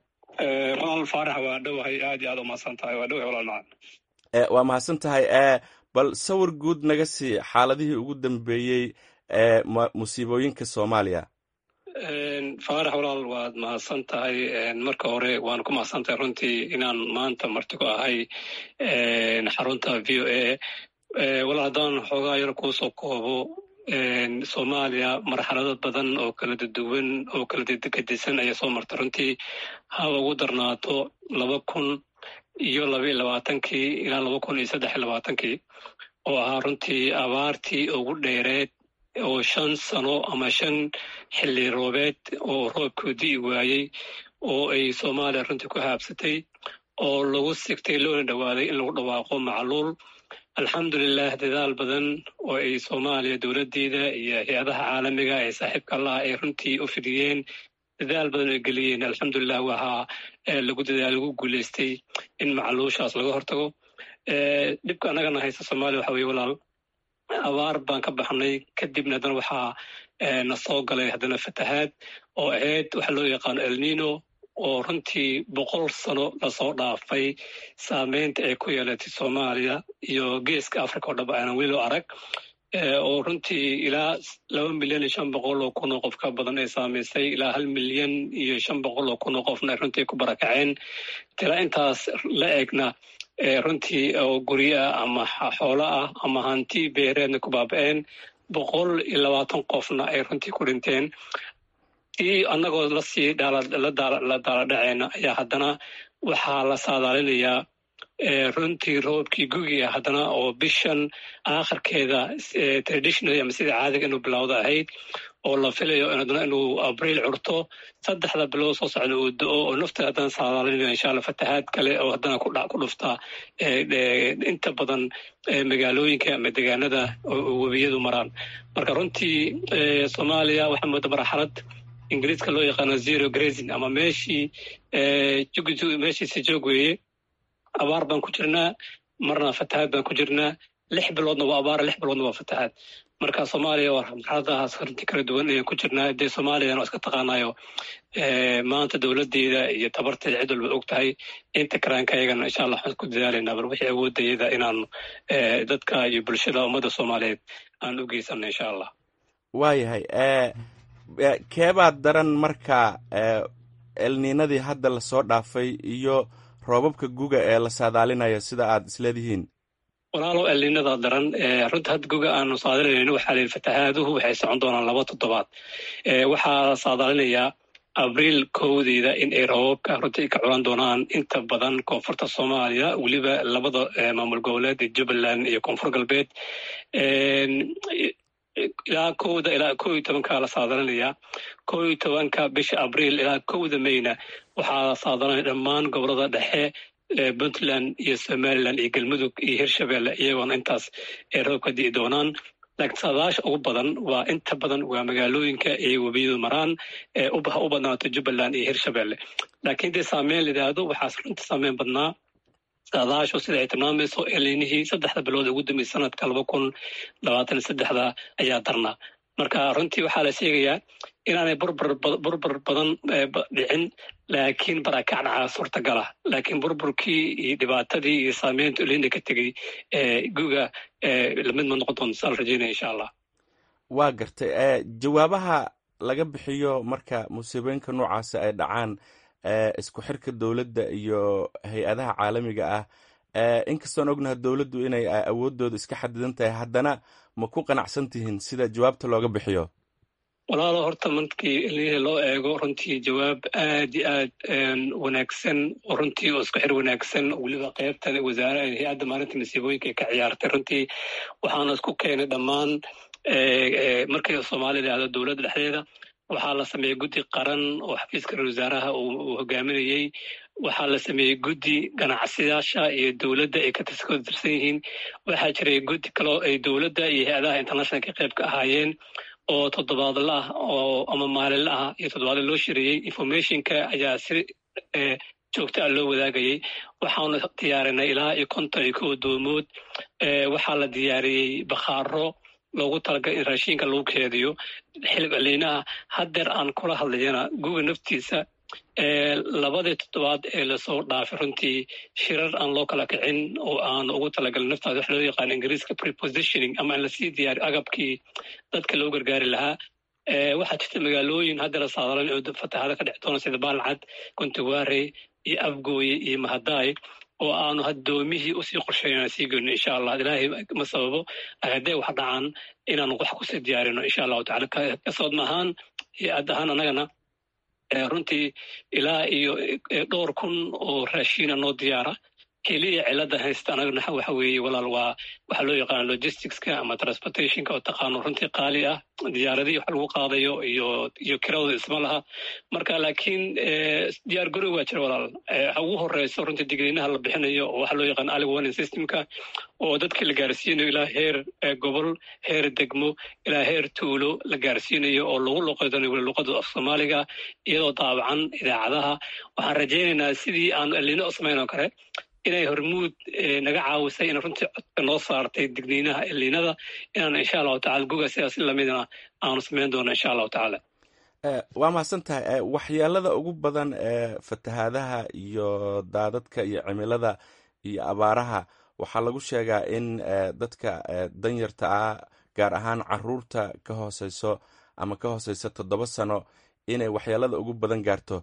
Walaal Faarax, waa dhowahay, aad iyo aad umahadsan tahay. Waa dhowahay walaal macaan. Waa mahadsan tahay. Bal sawir guud naga sii xaaladihii ugu dambeeyey ee musiibooyinka Soomaaliya. Faarax walaal, waad mahadsan tahay. Marka hore waan ku mahadsan tahay runtii inaan maanta marti ku ahay xarunta VOA. Walaal, haddaan xoogaa yar kuusoo koobo, Soomaaliya marxalado badan oo kala duwan oo kala gedisan ayaa soo martay runtii. Haba ugu darnaato 2022-kii ilaa 2023-kii oo ahaa runtii abaartii ugu dheereed oo 5 sano ama 5 xilli roobeed oo roobku di'i waayey oo ay Soomaaliya runtii ku haabsatay oo lagu sigtay loona dhowaaday in lagu dhawaaqo macluul. Alxamdulilah, dadaal badan oo ay Soomaaliya dowladdeeda iyo hay-adaha caalamiga ee saaxiibka allaha ay runtii u fidiyeen, dadaal badan ay geliyeen, alxamdulilah, waxaa lagu dadaal lagu guuleystay in macluushaas laga hortago. Dhibka annagana haysta Soomaaliya waxa weye walaal, abaar baan ka baxnay, kadibna haddana waxaa na soo galay haddana fatahaad oo ahayd waxa loo yaqaano Elnino, oo runtii 100 sano lasoo dhaafay saameynta ay ku yeelatay Soomaaliya iyo Geeska Africa oo dhab aanan weli loo arag, oo runtii ilaa 2,500,000 oo qof ka badan ay saamaysay, ilaa 1,500,000 oo qofna ay runtii ku barakaceen. Tira intaas la egna runtii oo guryo ah ama xoolo ah ama hanti beereedna ku baaba'een, 120 qofna ay runtii ku dhinteen. Tii annagoo lasii la daaladhaceyna ayaa haddana waxaa la saadaalinayaa runtii roobkii gugiga haddana oo bishan aakhirkeeda traditionally ama sida caadiga inuu bilowda ahayd, oo la filayo haddana inuu Abriil curto, 3da bilood soo socda uu do-o, oo nafta haddana saadaalinayo insha Allah fatahaad kale oo haddana ku dhufta inta badan magaalooyinka ama deegaanada webiyadu maraan. Marka runtii Soomaaliya waxaa mooda marxalad Ingiriiska loo yaqaano zero grazing ama meeshii meeshiisi joog weeye. Abaar baan ku jirnaa, marna fatahaad baan ku jirnaa. 6 biloodna waa abaar, 6 biloodna waa fatahaad. Marka Soomaaliya waa marxaladahaas runtii kala duwan ayaan ku jirnaa. Dee Soomaaliyana waa iska taqaanayo, maanta dowladeeda iyo tabarteeda cid walba og tahay. Inta karaanka ayagana insha Allah waxaan ku dadaalaynaa bal wixii awoodayada inaanu dadka iyo bulshada ummadda Soomaaliyeed aan u geysano insha Allah. Waayahay, keebaa daran marka, Elniinadii hadda lasoo dhaafay iyo roobabka guga ee la saadaalinayo, sida aad isleedihiin? Walaalow, Elniinada daran runta. Hadda guga aanu saadaalinayno waxaa la yidhi fatahaaduhu waxay socon doonaan 2 toddobaad. Waxaa la saadaalinayaa Abriil 1deeda in ay roobabka runtii ka culan doonaan inta badan koonfurta Soomaaliya, weliba labada maamul goboleed ee Jubbaland iyo Koonfur Galbeed. Ilaa 1da ilaa 11-ka la saadaalinayaa, 11-ka bisha Abriil ilaa 1da Mayna waxaa la saadalinaya dhammaan gobolada dhexe, Puntland iyo Somaliland iyo Galmudug iyo Hirshabelle, iyagoona intaas ay roobka di'i doonaan. Laakiin saadaasha ugu badan waa inta badan waa magaalooyinka ay webiyadu maraan, ha u badnaato Jubbaland iyo Hirshabelle. Laakiin dee saameyn la yidhaahdo, waxaas runta saameyn badnaa saadaashu sida ay tilmaamayso Elniinihii 3da bilood ugu dambeysay sanadka 2023-da ayaa darnaa. Marka runtii waxaa la sheegayaa inaanay burbur badan dhicin, laakiin barakac dhacaa suurtagala. Laakiin burburkii iyo dhibaatadii iyo saameynta Elniina ka tegey guga lamid ma noqon doonto, saa la rajeynaya insha Allah. Waa gartay. Jawaabaha laga bixiyo marka musiibooyinka noocaasi ay dhacaan, isku xirka dowladda iyo hay-adaha caalamiga ah, inkastoon ognaha dowladdu inay awooddooda iska xadidan tahay, haddana ma ku qanacsan tihiin sida jawaabta looga bixiyo? Walaalo, horta markii Elniina loo eego, runtii jawaab aad iyo aad wanaagsan oo runtii oo isku xir wanaagsan, weliba qeybtan wasaare hay-adda maalinta masiibooyinka ay ka ciyaartay runtii. Waxaana isku keenay dhammaan, markii Soomaaliya yidhaahdo dowladda dhexdeeda, waxaa la sameeyey guddi qaran oo xafiiska ra-isul wasaaraha uu hogaaminayey. Waxaa la sameeyey guddi ganacsiyyaasha iyo dowladda ay ka tirsan yihiin. Waxaa jiray guddi kaloo ay dowladda iyo hay-adaha internationalka qayb ka ahaayeen oo toddobaadla ah oo ama maalinla ah iyo toddobaadla loo shireeyey. Informationka ayaa si joogta ah loo wadaagayay. Waxaanu diyaarinay ilaa iyo 51 doomood. Waxaa la diyaariyey bakhaaro loogu talagalay in raashinka lagu keediyo xilib Elniinaha. Haddeer aan kula hadlayana guga naftiisa Labadii toddobaad ee lasoo dhaafay runtii shirar aan loo kala kicin oo aan ugu talagalin naftaada wax loo yaqaan Ingiriiska prepositioning, ama in lasii diyaariyo agabkii dadka loo gargaari lahaa. Waxaa jirta magaalooyin hadda la saadalan oo fatahaado ka dhici doona, sida Baalcad, Kuntuwaare iyo Afgooye iyo Mahadaay, oo aanu haddoomihii usii qorsheyn sii goyno, insha Allah. Ilaahay ma sababo, hadday wax dhacaan inaanu wax kusii diyaarino, insha Allahu tacala. Kasoodma ahaan iyo ad ahaan annagana runtii ilaa iyo dhowr kun oo raashiina noo diyaara. Keliya cilada haysta anagana waxa weeye, walaal, waa waxaa loo yaqaana logisticska ama transportationka oo taqaano runtii qaali ah, diyaaradihii wax lagu qaadayo iyo kiradooda isma laha. Marka laakiin diyaar garow waa jira, walaal. Waxa ugu horeyso runtii digniinaha la bixinayo oo waxa loo yaqaan early warning systemka, oo dadka la gaarsiinayo ilaa heer gobol, heer degmo, ilaa heer tuulo la gaarsiinayo, oo lagu luqeydanayo weli luqada af Soomaaliga, iyadoo daabacan idaacadaha. Waxaan rajaynaynaa sidii aanu El Niño u samayn oo kale inay Hormuud naga caawisay in runtii codka noo saartay digniinaha El Niñada, inaan insha Allahu tacala guga sidaas lamidna aanu samayn doono, insha Allahu tacaala. Waa mahadsan tahay. Waxyeelada ugu badan ee fatahaadaha iyo daadadka iyo cimilada iyo abaaraha waxaa lagu sheegaa in dadka danyarta ah, gaar ahaan caruurta ka hooseyso ama ka hooseysa 7 sano, inay waxyeelada ugu badan gaarto.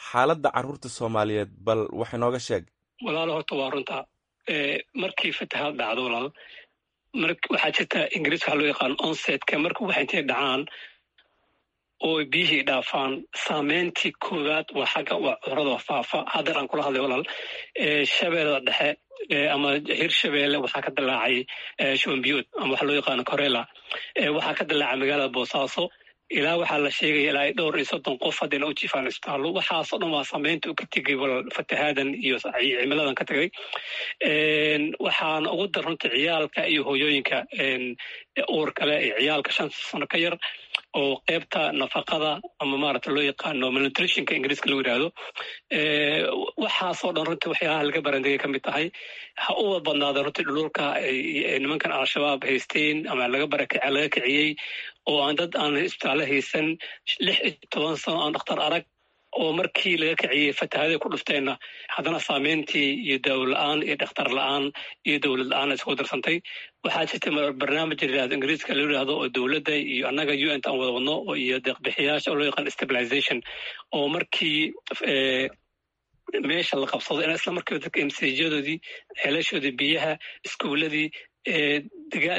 Xaaladda caruurta Soomaaliyeed bal wax inooga sheeg. Walaalo, horta waa runta. Markii fatahaad dhacdo, walaal, waxaa jirta Ingiriis waxaa loo yaqaan onsetka. Marka waxa intay dhacaan oo biyihii dhaafaan, saameyntii koowaad waa xagga waa cudurada faafa. Haddeer aan kula hadlay, walaal, Shabeellada Dhexe ama Hirshabeelle waxaa ka dilaacay shuban biyood ama waxa loo yaqaano cholera. Waxaa ka dilaacay magaalada Boosaaso, ilaa waxaa la sheegaya ilaa dhowr iyo 30 qof haddayna u jiifaan isbitaallo. Waxaasoo dhan waa saameynta u ka tegay, walaal, fatahaadan iyo cimiladan ka tegay. Waxaana ugu dar runta ciyaalka iyo hooyooyinka uur kale iyo ciyaalka 5 sano ka yar, oo qeybta nafaqada ama maarata loo yaqaano malnutritionka Ingiriiska lagu yidhaahdo. Waxaasoo dhan runtii waxyaalaha laga barandegay ka mid tahay. Ha u badnaada runtii dhululka nimankan Al-Shabaab haysteen ama laga barakace, laga kiciyey, oo aan dad aan isbitaallo haysan, 16 sano aan dhakhtar arag, oo markii laga kiciyey fatahaaday ku dhufteenna haddana saameyntii iyo daawo la-aan iyo dhakhtar la-aan iyo dowlad la-aan isku darsantay. Waxaa jirta barnaamij la yidhahdo, Ingiriiska loo yidhahdo, oo dowladda iyo annaga UN aan wada wadno iyo deeqbixiyaasha, oo loo yaqaan stabilization, oo markii meesha la qabsado in isla markiiba dadka MCH-yadoodii, ceelashoodii biyaha, iskuuladii,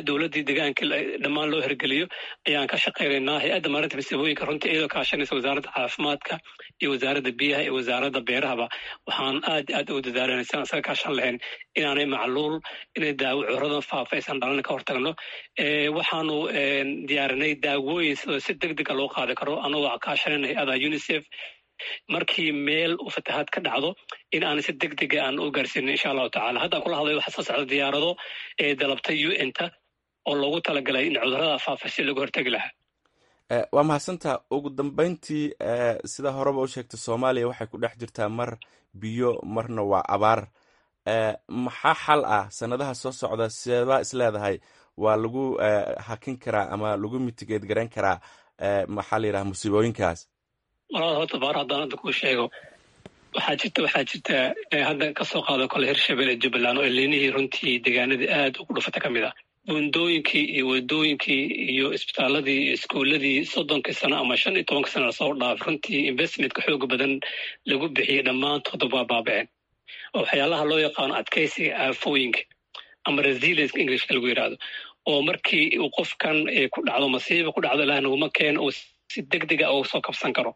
dowladdii degaanka dhammaan loo hirgeliyo ayaan ka shaqaynaynaa. Hay-adda maarinta masiibooyinka runtii iyadoo kaashanaysa Wasaaradda Caafimaadka iyo Wasaaradda Biyaha iyo Wasaaradda Beerahaba, waxaan aad aad ugu dadaalanay si aan isaga kaashan lahayn inaanay macluul, inay daawo cuduradan faafa aysan dhalan ka hortagno. Waxaanu diyaarinay daawooyin sidoo si deg dega loo qaadi karo, anagoo kaashanayna hay-ada UNICEF, markii meel uu fatahaad ka dhacdo in aan si deg dega aan u gaarsiinin, insha Allahu tacala. Haddaan kula hadlayo waxaa soo socda diyaarado ee dalabtay UN-ta oo loogu talagalay in cudurada faafa si looga hortegi lahaa. Waa mahadsantaa. Ugu dambeyntii, sida horeba u sheegtay, Soomaaliya waxay ku dhex jirtaa mar biyo marna waa abaar. Maxaa xal ah sanadaha soo socda? Seebaa isleedahay waa lagu hakin karaa ama lagu mitigate garayn karaa, maxaa la yidhaha, musiibooyinkaas? Walaal, horta baar haddaan hadda kuu sheego, waxaa jirta hadda kasoo qaado kole Hirshabelle, Jubbaland oo El Niñihii runtii deegaanadii aad ugu dhufata ka mid ah, buundooyinkii iyo wadooyinkii iyo isbitaaladii iyo iskuuladii 30-kii sano ama 15-kii sano lasoo dhaaf runtii investmentka xooga badan lagu bixiyey dhammaantooda waa baaba'een, oo waxyaalaha loo yaqaano adkeysiga aafooyinka ama resilience Englishka lagu yidhaahdo, oo markii uu qofkan ku dhacdo masiiba ku dhacdo, Ilaah naguma keeno, uu si deg dega uga soo kabsan karo.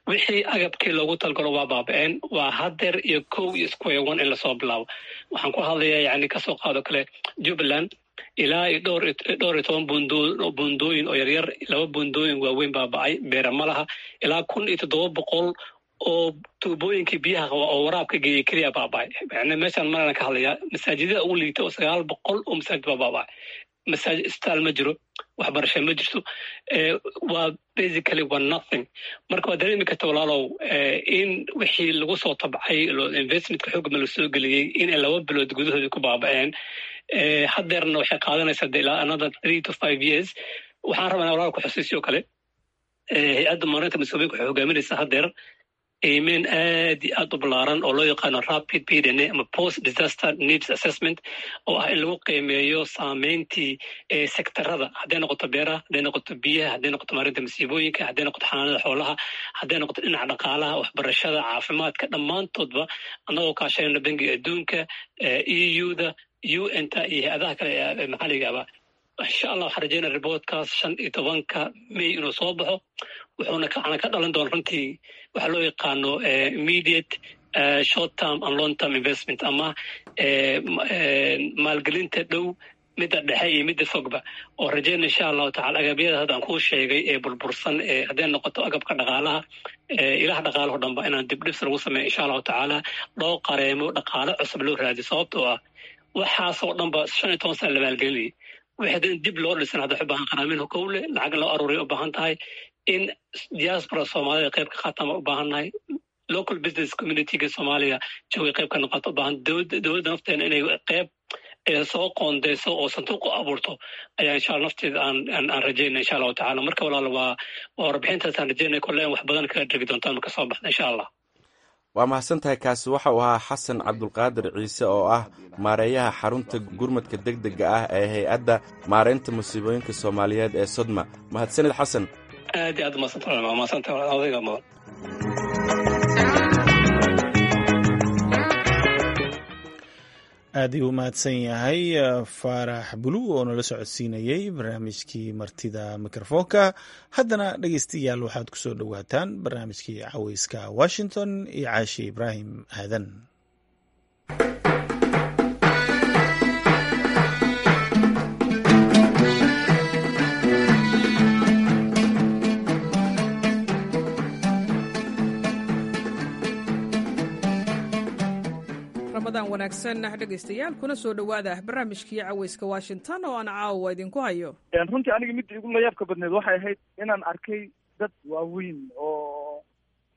Wixii agabkii loogu talgalo waa baaba'een. Waa hadeer iyo kow iyo square one in lasoo bilaabo. Waxaan ku hadlayaa, yani, kasoo qaado kale Jubbaland, ilaa iyo dhowr iyo toban buundooyin oo yaryar, laba buundooyin waaweyn baaba'ay, beera ma laha. Ilaa 1700 oo tuubooyinkii biyaha qaba oo waraabka geeyey keliya baaba'ay. Yani meeshaan marana ka hadlayaa masaajidada ugu liita oo 900 oo masaajid baa baaba'ay. Masaajid, isbitaal ma jiro, waxbarasho ma jirto, waa basically waa nothing. Marka waa dareemi karta, walaalow, in wixii lagu soo tabcay, investmentka xoogma la soo geliyey, inay 2 bilood gudahoodii ku baaba'een. Haddeerna waxay qaadanaysaa de ilaa another 3 to 5 years. Waxaan rabaa walaal ku xusuusiyo kale, hay-adda maarinta masiibooyinka waxay hogaaminaysaa haddeer Qiimeyn aad iyo aad u ballaaran oo loo yaqaano rapid PDNA ama post disaster needs assessment, oo ah in lagu qiimeeyo saameyntii sektarada, hadday noqoto beeraha, hadday noqoto biyaha, hadday noqoto maarinta masiibooyinka, hadday noqoto xanaanada xoolaha, hadday noqoto dhinaca dhaqaalaha, waxbarashada, caafimaadka, dhammaantoodba, annagoo kaashanayna Bangiga Adduunka, EU-da, UN-ta iyo hay-adaha kale ee maxalliga aba. Insha Allah waxaan rajeynaya reportkaas 15-ka May inuu soo baxo, wuxuuna waxaana ka dhalan doona runtii waxaa loo yaqaano immediate, short term and long term investment, ama maalgelinta dhow, midda dhexe iyo midda fogba, oo rajeyna insha Allahu tacala agabyada hadda aan kuu sheegay ee burbursan, ee hadday noqoto agabka dhaqaalaha, ilaha dhaqaalaho dhanba, inaan dibdhibs lagu sameeyo insha Allahu tacaala, loo qareemo, dhaqaalo cusub loo raadiyo, sababtoo ah waxaasoo dhanba 15 sana la maalgelinayay. Wixii hadda in dib loo dhisan hadda waxay u baahan qaraamin kowle lacag loo aruuriyo, u baahan tahay in diaspora Soomaalida qayb ka qaataan baan u baahan nahay, local business communityga Soomaaliya joogay qayb ka noqoto u baahan, dowladda nafteena inay qayb soo qoondeyso oo sanduuq u abuurto ayaa insha Allah nafteeda aan rajeynaya insha Allahu tacala. Marka walaal, waa warbixintaasaan rajeynaya kolle in wax badan kaga dhegi doontaan marka soo baxda insha Allah. Waa mahadsan tahay. Kaasi waxa uu ahaa Xasan Cabdulqaadir Ciise oo ah maareeyaha xarunta gurmadka deg dega ah ee Hay-adda Maareynta Musiibooyinka Soomaaliyeed ee SODMA. Mahadsanid, Xasan. Aad iyo aad umadsanta, mahadsanta odayga mudan. Aad ayuu u mahadsan yahay Faarax Bulu oo nala socodsiinayey barnaamijkii martida mikrofoonka. Haddana dhegeystayaal, waxaad ku soo dhowaataan barnaamijkii Caweyska Washington iyo Caashi Ibraahim Aadan. Ramadaan wanaagsan dhegaystayaal, kuna soo dhowaada barnaamijkii Caweyska Washington oo aan caawa idinku hayo. Runtii aniga midda igu layaabka badneed waxay ahayd inaan arkay dad waaweyn oo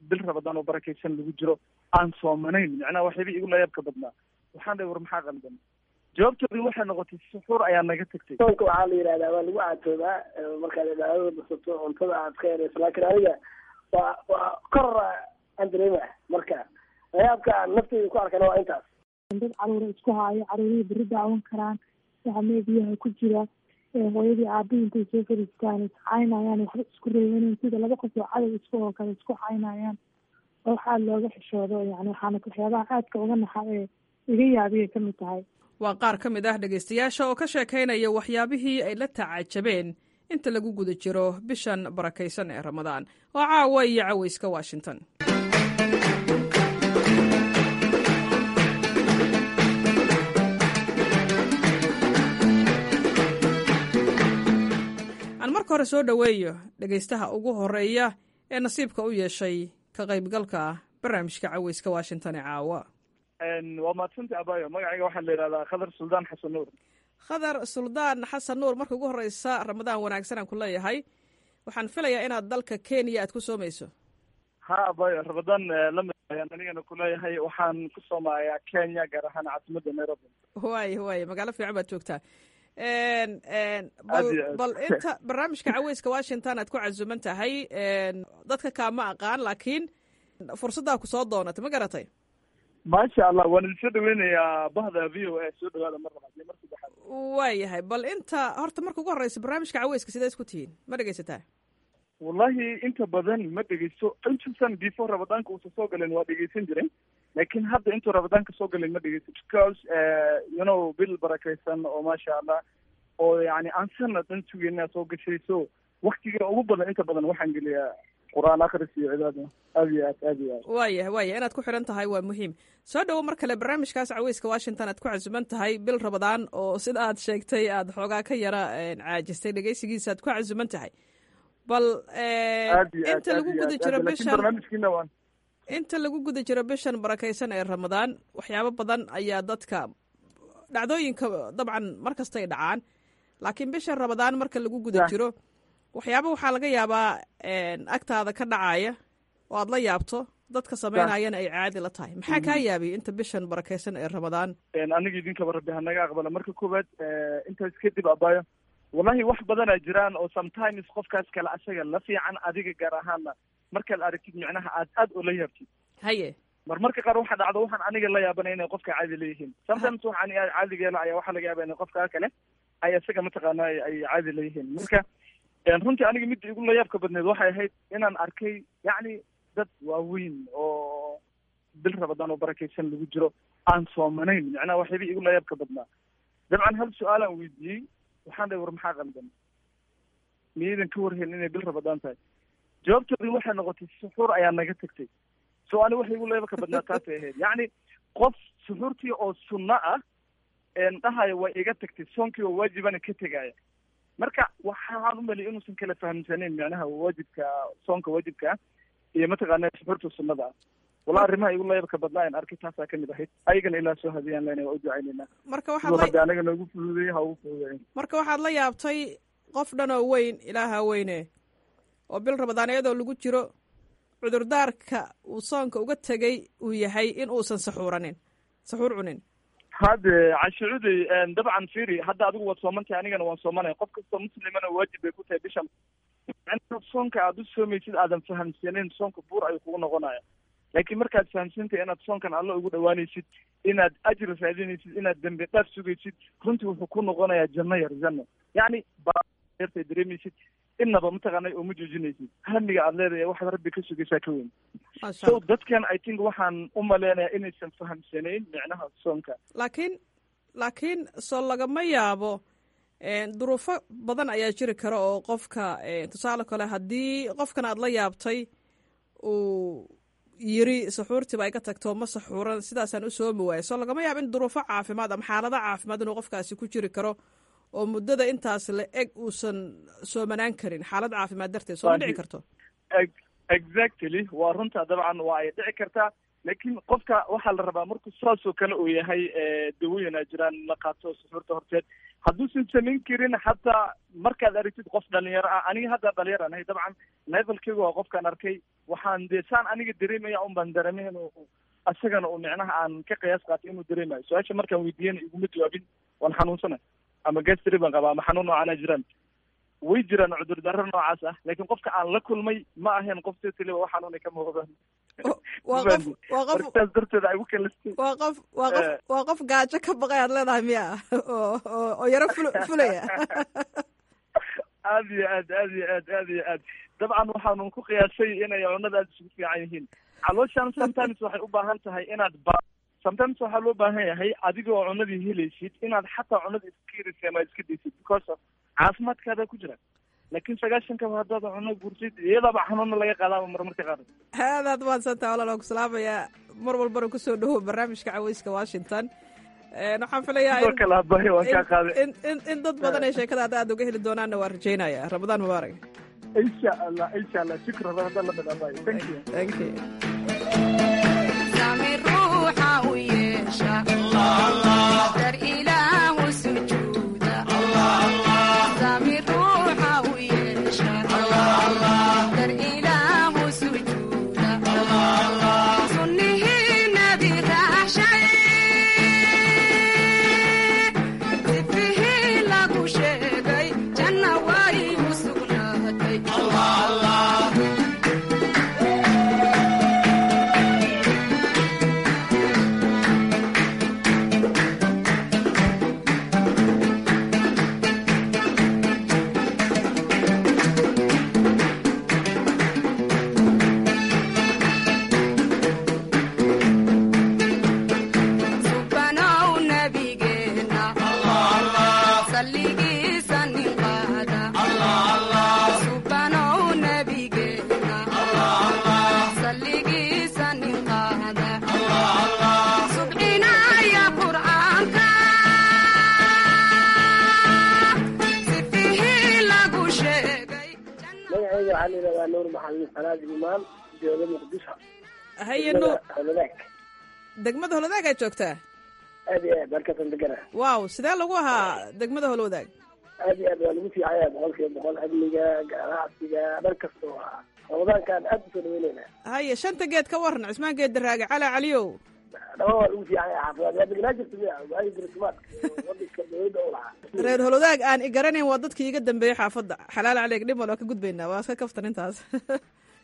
bil Rabadaan oo barakaysan lagu jiro aan soomanayn. Macnaha waxyaaba igu layaabka badnaa, waxaan dhahay, "War maxaa qaldan?" Jawaabtoodii waxay noqotay, "Suxuur ayaa naga tagtay." Soonka waxaa la yidhahdaa waa lagu caatoobaa markaad cibaadada basato, cuntada aad ka yarayso, laakiin aniga waa korora aan dareema. Marka layaabka aan nafteyda ku arkana waa intaas. Dad caruura isku haayo, caruurihii beri daawan karaan waxa meediyaha ku jira, hooyadii aabihii intay soo fadhiistaan iscaynayaan, waxba isku reebaneyn, sida laba qof oo cadow isku oo kale isku caynayaan, oo waxaa looga xishoodo. Yani waxaana waxyaabaha aadka uga naxa ee iga yaabiyay ka mid tahay. Waa qaar ka mid ah dhegaystayaasha oo ka sheekaynaya waxyaabihii ay la tacajabeen inta lagu guda jiro bishan barakaysan ee Ramadaan. Oo caawa iyo Caweyska Washington. Aan marka hore soo dhoweeyo dhegaystaha ugu horeeya ee nasiibka u yeeshay ka qaybgalka barnaamijka Caweyska Washington ee caawa. Waa mahadsantay, abayo. Magacayga waxaa la yidhahdaa Khadar Suldaan Xasan Nuur. Khadar Suldaan Xasan Nuur, marka ugu horeysa Ramadaan wanaagsan aan ku leeyahay. Waxaan filayaa inaad dalka Kenya aad ku soomayso. Ha abayo, Ramadaan lamid ayaan anigana kuleeyahay. Waxaan ku soomayaa Kenya, gaar ahaan caasimadda Nairobi. Waay, magaalo fiican baad joogtaa. Bal inta barnaamijka Caweyska Washington aad ku casuman tahay, dadka kaama aqaan, laakiin fursaddaa ku soo doonatay, ma garatay? Maasha Allah, waan idin soo dhaweynayaa bahda VOA. Soo dhawaada mar labaad iyo mar saddexaad. Waayahay. Bal inta horta marka ugu horeysa, barnaamijka Caweyska sidee isku tihiin? Ma dhegeysataa? Wallahi inta badan ma dhegeysto. Intuusan before Ramadaanka uusan soo galin waa dhegeysan jiray, laakiin hadda intuu Ramadaanka soo galin ma dhegeysto, because bil barakaysan oo maasha Allah oo yani aan sanad dhan sugayna soo gashay, so waktiga ugu badan inta badan waxaan geliyaa Qur-aan akhris iyo cibaado. Aad iyo aad, aad iyo aad. Waayah, inaad ku xidhan tahay waa muhiim. Soo dhowo mar kale barnaamijkaas Caweyska Washington aad ku casuman tahay. Bil Rabadaan oo sida aad sheegtay aad xoogaa ka yara caajistay dhegeysigiisa aad ku casuman tahay. Bal inta lagu guda jiro bishan barnaamijkiina waan inta lagu guda jiro bishan barakaysan ee Ramadaan, waxyaabo badan ayaa dadka dhacdooyinka dabcan mar kastay dhacaan, laakiin bishan Ramadaan marka lagu guda jiro waxyaaba waxaa laga yaabaa agtaada ka dhacaya oo aad la yaabto, dadka samaynayana ay caadi la tahay. Maxaa kaa yaabiyay inta bishan barakaysan ee Ramadaan? Aniga idinkaba Rabbi hanaga aqbala marka koowaad. Intaas kadib abayo, wallahi wax badanaa jiraan oo sometimes qofkaas kale asaga la fiican, adiga gaar ahaana Markaad aragtid micnaha aad aad ula yaabtid. Haye. Marmarka qaar waxaa dhacdo waxaan aniga la yaabanay inay qofka caadi leeyihiin. Sometimes waxaan caadiga la ayaa waxaa laga yaaba inay qofka kale ay isaga mataqaana ay caadi leeyihiin. Marka runtii aniga midda igu la yaabka badneed waxay ahayd inaan arkay yacni dad waaweyn oo bil Rabadaan oo barakaysan lagu jiro aan soomanayn. Micnaha waxyaaba igu la yaabka badnaa, dabcan hal su-aalaan weydiiyey, waxaan dhahay, "War maxaa qaldan? Miyaydan ka warhayn inay bil Rabadaan tahay?" Jawaabtoodii waxay noqotay, "Suxuur ayaa naga tagtay." So ani waxay igu la yaabka badnaa taasay ahayd, yacni qof suxuurtii oo sunno ah dhahayo way iga tagtay, soonkii oo waajibana ka tegaya. Marka waxaan u maliyay inuusan kala fahamsanayn micnaha waajibka, soonka waajibka ah iyo mataqaana suxuurta sunnada ah. Walaa arrimaha igu layaabka badnaa aan arkay taasaa kamid ahayd. Ayagana ilaa soo hadiyaan lena, waa u ducaynaynaa. Marka waxaad rabbi anaga noogu fududeeyey ha ugu fududeeyin. Marka waxaad la yaabtay qof dhan oo weyn, ilaaha weyne, oo bil Rabadaan iyadoo lagu jiro cudurdaarka uu soonka uga tegay uu yahay in uusan saxuuranin, saxuur cunin. Hade cashucuday, dabcan firi, hadda adigu waad soomantahay, anigana waan soomanaya, qof kastoo muslimana waajib bay ku tahay bishan. Soonka aada u soomaysid aadan fahamsanayn, soonka buur ayuu kugu noqonaya. Laakiin markaad fahamsantahay inaad soonkan Alla ugu dhawaanaysid, inaad ajri raadinaysid, inaad dembi dhaaf sugaysid, runtii wuxuu ku noqonayaa janno yar, janno yacni yartay dareemaysid, innaba mataqaanay uma joojinaysid. Hamiga aad leedahay, waxaad rabbi ka sugaysaa ka weyn. So dadkan I think waxaan u maleynayaa inaysan fahamsanayn micnaha soonka. Laakiin soo lagama yaabo duruufo badan ayaa jiri kara oo qofka, tusaale kale, haddii qofkan aad la yaabtay uu yiri saxuurtiiba iga tagto, ma saxuuran, sidaasaan u soomi waayay, soo lagama yaabo in duruufo caafimaad ama xaalado caafimaad inuu qofkaasi ku jiri karo oo muddada intaas la eg uusan soomanaan karin xaalad caafimaad darteed? Soo ma dhici karto? Exactly, waa runta, dabcan waa ay dhici kartaa. Laakiin qofka waxaa la rabaa markuu saasoo kale uu yahay, dawooyin aa jiraan la qaato suxuurta horteed. Hadduusan samayn karin, xataa markaad aragtid qof dhalinyaro ah, aniga hadda dhalinyar aan ahay, dabcan levelkeyga waa qofkaan arkay, waxaan dee saan aniga dareemaya un baan dareemay inuu isagana uu micnaha aan ka qiyaas qaatay inuu dareemayo. Su-aasha markaan weydiiyana iguma jawaabin "waan xanuunsanay" ama "gastri baan qabaa" ama "xanuun noocaana jiraan". Way jiraan cudurdarro noocaas ah, laakiin qofka aan la kulmay ma ahayn qof totally wax xanuunay ka muuqdaan. Waa qof waa qof Saas darteed ay ugu kalistay. Waa qof gaajo ka baqay aad leedahay miya, oo yaro fulaya? Aad iyo aad, aad iyo aad, aad iyo aad. Dabcan waxaanu ku qiyaasay inay cunada aada isugu fiican yihiin. Calooshan sometimes waxay u baahan tahay inaad ba sometimes waxaa loo baahan yahay adigoo cunadii helaysid inaad xataa cunada iska yaraysid ama iska daysid, because of caafimaadkaada ku jira. Laakiin 90-kaba haddaad cuno gurtid, iyadaaba xanuuna laga qaadaaba marmarka qaar. Aadaad mahadsantaha walaal, waan ku salaamayaa. Mar walbana kusoo dhawow barnaamijka Caweyska Washington. Waxaan filayaa Sidoo kale abahay, waan kaa qaaday. in dad badan ay sheekadaada aad uga heli doonaanna waan rajaynaya. Ramadaan mubaarak. Insha Allah, insha Allah, shukran. Ramadaan lamid abahay, thank you. Thank you. Ruuxa u yeesha dar Ilaahu sujuuda, sami ruuxa u yeesha dar Ilaahu sujuuda, sunnihii Nabi raaxshay, sifihii lagu sheegay janna way u sugnaatay. Subanow nabigeena salligiisa nin qaada, subanow nabigeena salligiisa nin qaada, subcinaya Qur'aanka, sifihii lagu sheegay. Magacayga waxaa la yidhahdaa Nuur Maxamed Xanaad Imaan, jooga Muqdisho. Haye Nuur. Holadaag. Degmada Holwadaag aad joogtaa? Aad iyo aad, halkaasaan degana. Wow, sidee lagu ahaa degmada Holwadaag? Aad iyo aad waa lagu fiicaya, 100%. Amniga, ganacsiga, dhan kasta waa Ramadaankaan aad usoo dhaweyneyna. Haye, shanta geed ka waran, Cismaan Geed Daraage, Cala Caliyow. Dhama waa lagu fiicaya. Xaafadaad waa degnaa jirta miya waagi jirtimaadka wadanka dowladda u lahaa? Reer Holwadaag aan i garanayn waa dadkii iga dambeeyey xaafadda. Xalaal caleeg, dhimal waa ka gudbaynaa, waa iska kaftan intaas.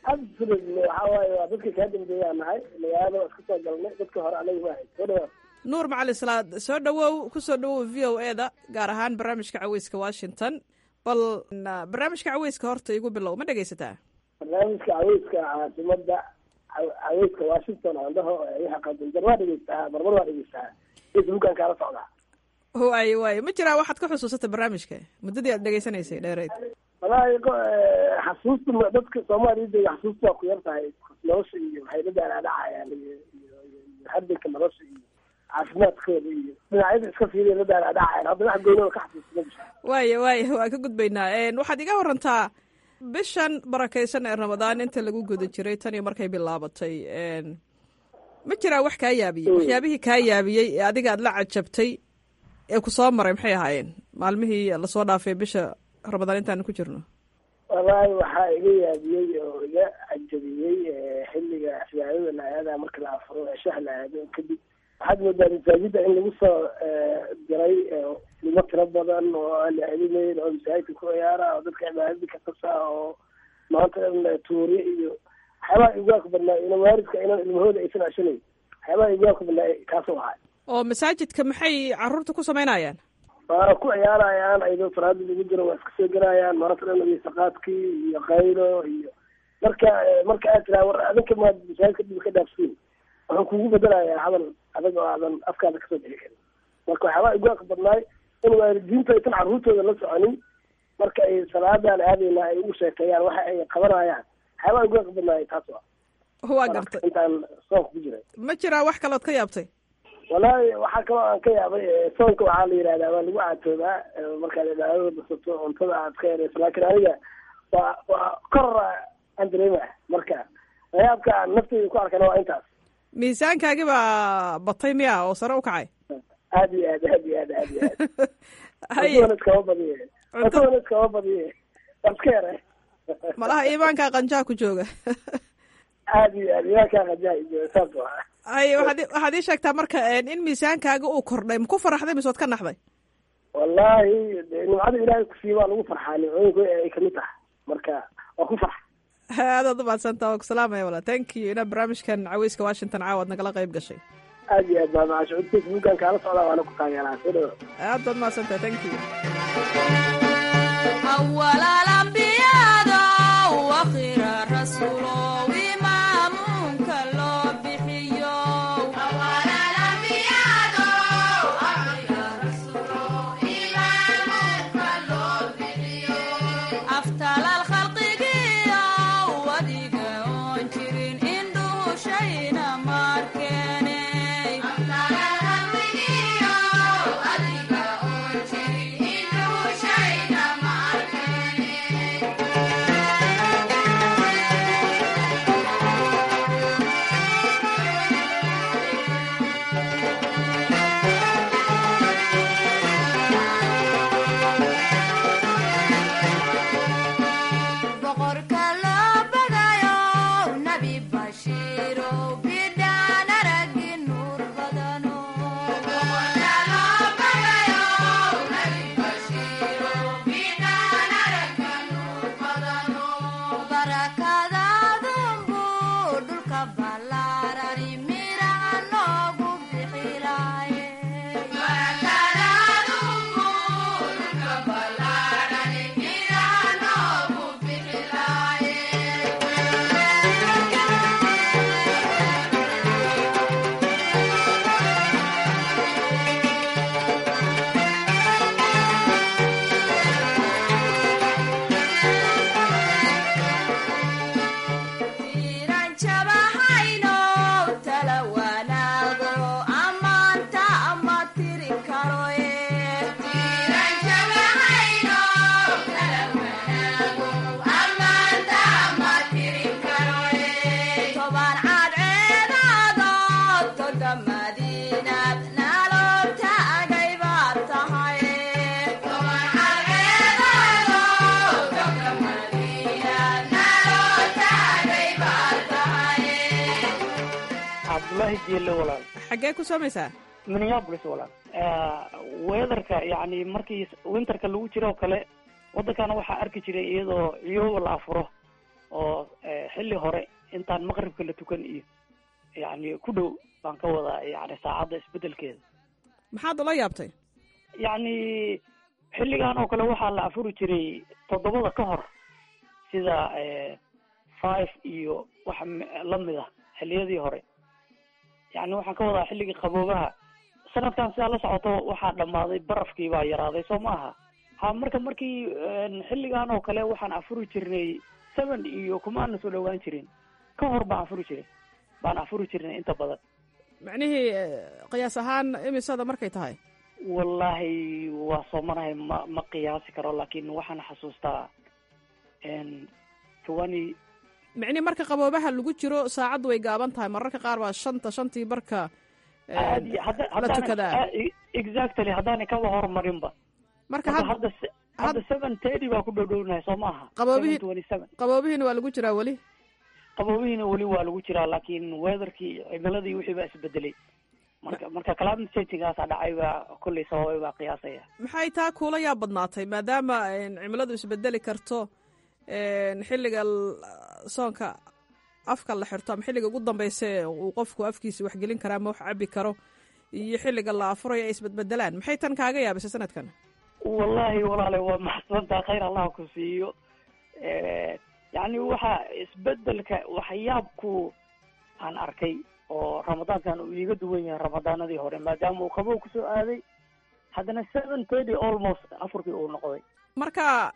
Absolutely, waxaa waaye waa dadka kaa dambeeyaa nahay, magaalada waa iska soo galnay, dadka hore anaga ma ahayd. Soo dhawaad. Nuur Macalin Salaad, soo dhowow, ku soo dhowow VOA-da, gaar ahaan barnaamijka Caweyska Washington. Bal barnaamijka caweyska horta igu bilow, ma dhegaysataa? Barnaamijka caweyska caasimada, caweyska Washington aan dhaho, waxa qadin waa dhegeystaa, marmar waa dhegeystaa, Facebookan kaala socdaa. Waay, ma jiraa waxaad ka xusuusata barnaamijka muddadii aad dhegeysanaysay dheereyd? Wallaahi xasuusta dadka Soomaaliya jooga xasuusta waa ku yar tahay. Nolosha iyo waxay la daalaadhacayaan iyo hardanka nolosha iyo caafimaadkooda iyo dhinacyada iska fiiriya la daalaadhacayaan. Hadda wax goynooda ka xasuusta ma jirto. Waaya, waa ka gudbaynaa. Waxaad iga warantaa bishan barakaysan ee Ramadaan inta lagu guda jiray tan iyo markay bilaabatay, ma jiraa wax kaa yaabiyey, waxyaabihii kaa yaabiyey ee adiga aad la cajabtay ee ku soo maray maxay ahaayeen maalmihii lasoo dhaafay bisha Ramadaan intaanu ku jirno? Wallaahi waxaa iga yaabiyey oo iga cajabiyey xilliga cibaadada la aada, marka la afuro, ceshaha la aado kadib, waxaad moodaa masaajida in lagu soo diray ilmo tiro badan oo aan la celinayn oo masaajidka ku ciyaara oo dadka cibaadadii ka qabsa oo maanta dhan tuuri iyo waxyaabaha iguwaaka badnaa ina waalidka inaan ilmahooda aysan ceshanayn. Waxyaabaha iguwaaka badnaa kaasoo ahay. Oo masaajidka maxay caruurta ku samaynayaan? Waa ku ciyaarayaan ayadoo salaada lagu jiro, waa iska soo gelayaan maanta dhan iyo saqaadkii iyo qaylo iyo marka aad tiraa war adinka maad masaajidka dhib ka dhaafsiin, wuxuu kugu bedelayaa hadal adag oo aadan afkaada kasoo bixi karin. Marka waxyaabaa iguwaaka badnaay in waalidiintu aysan carruurtooda la soconin marka ay salaadan aadayna ay ugu sheekeeyaan waxa ay qabanayaan. Waxyaabaa iguwaaka badnaay taas waa. Waa gartay. Intaan soonka ku jiray. Ma jiraa wax kalood ka yaabtay? Wallaahi waxaa kaloo aan ka yaabay, soonka waxaa la yidhahdaa waa lagu caatoobaa markaad cibaadada basato, cuntada aad ka yarayso, laakiin aniga waa koror aan dareemaya. Marka layaabka aan nafteyda ku arkana waa intaas. Miisaankaagi baa batay miya oo sare u kacay? Aad iyo aad, aad iyo aad, aad iyo aad. Cuntadana iskama badiye, cuntadana iskama badiye, waa iska yaray. Malaha iimaankaa qanjaa ku jooga. Aad iyo aad, iimaankaa qanjaa ku jooga, saas waa. Hay, waxaad ii sheegtaa marka in miisaankaaga uu kordhay, maku faraxday mise waad ka naxday? Wallaahi nimcada Ilaahay kusiiya waa lagu farxaa, nimcooyinku ay kamid tahay, marka waa ku farxa. Aadaad umahadsantaa, waa ku salaamaya walaa. Thank you inaad barnaamijkan caweyska Washington caawa ad nagala qayb gashay. Aad iyo aad baa mahadsan. Facebookan kaala socdaa waana ku taageeraa. Soo dhawo. Aad baad mahadsantahay, thank you. أول الأنبياء وآخر الرسول إمامك لو بحيو. أول الأنبياء وآخر الرسول إمامك لو بحيو. أفتل الخلق وديق أنجرين إندو شينا ماركيني. أفتل الخلق وديق أنجرين إندو شينا ماركيني. Boqorka loo bagayo Nabi Bashiiro bidhaan aragi nuur badano. Boqorka loo bagayo Nabi Bashiiro bidhaan aragi nuur badano. Barakadaadunbu dhulka ballaarani miraha noogu bixilaaye. Barakadaadunbu dhulka ballaarani miraha noogu bixilaaye. Tiiran jabahayno tala wanaago ammaanta ama tiri karoye. Tiiran jabahayno tala wanaago ammaanta ama tiri karoye. Toban cadceedaado toga madiinaad naloo taagay baad tahay. Toban cadceedaado toga madiinaad naloo taagay baad tahay. Cabdullaahi Jeelle walaal. Xaggee ku soomaysaa? Minneapolis walaal. Weatherka yacni markii winterka lagu jiro oo kale waddankana waxaa arki jiray iyadoo ciyooba la afuro. Oo xilli hore intaan maqribka la tukan iyo yacni ku dhow baan ka wadaa, yani saacadda isbedelkeeda. Maxaad ula yaabtay? Yacni xilligan oo kale waxaa la afuri jiray 7da ka hor, sida 5 iyo wax lamid ah xilliyadii hore. Yani waxaan ka wadaa xilligii qaboobaha. Sanadkan sidaa la socoto waxaa dhammaaday barafkii, baa yaraaday, soo ma aha? Ha, marka markii xilligan oo kale waxaan afuri jirnay 7 iyo kumaana soo dhawaan jirin, ka hor baan afuri jiray, baan afuri jirnay inta badan. Macnihii qiyaas ahaan imisada markay tahay? Wallaahi waa soomanahay, ma qiyaasi karo, laakiin waxaan xasuustaa 20. Micnihi marka qaboobaha lagu jiro saacaddu way gaaban tahay, mararka qaar baa 5ta, 5tii barka la tukadaa. Exactly, haddaanay kaba horumarinba. Marka hadda 7:30 baa ku dhowdhownahay, soo maaha? Qaboobihii 7:27. Qaboobihiina waa lagu jiraa weli. Qaboobihiina weli waa lagu jiraa, laakiin weatherkii, cimiladii, wixii baa isbedelay. Marka climate changingaasaa dhacay baa kolley sababay baa qiyaasaya. Maxay taa kuula yaab badnaatay, maadaama cimiladu isbedeli karto, xilliga soonka afka la xirto ama xilliga ugu dambeysa uu qofku afkiisa waxgelin kara ama wax cabi karo iyo xilliga la afurayo ay isbedbedelaan? Maxay tan kaaga yaabisay sanadkan? Wallaahi walaale, waa maxsantaa, khayr Allah ku siiyo. Yacni waxa isbedelka waxyaabku aan arkay oo ramadaankan uu iiga duwan yahay ramadaanadii hore, maadaama uu qabow kusoo aaday, haddana 7:30 almost afurkii uu noqday. Marka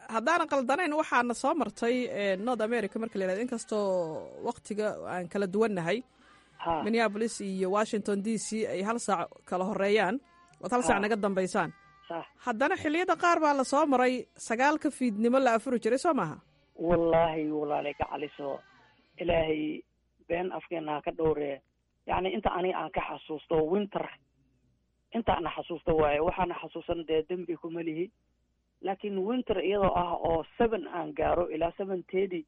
haddaanan qaldanayn, waxaana soo martay North America marka la yihahdo, inkastoo waktiga aan kala duwannahay, Minneapolis iyo Washington DC ay hal saac kala horeeyaan, ood hal saac naga dambaysaan, haddana xilliyada qaar baa lasoo maray 9ka fiidnimo la afuri jiray, soo maaha? Wallaahi walaale gacaliso, Ilaahay been afkeena ha ka dhowree. Yacni inta aniga aan ka xasuusto winter, inta ana xasuusto waaye, waxaana xasuusan dee dembi kuma lihi, laakiin winter iyadoo ah oo 7 aan gaaro ilaa 7:30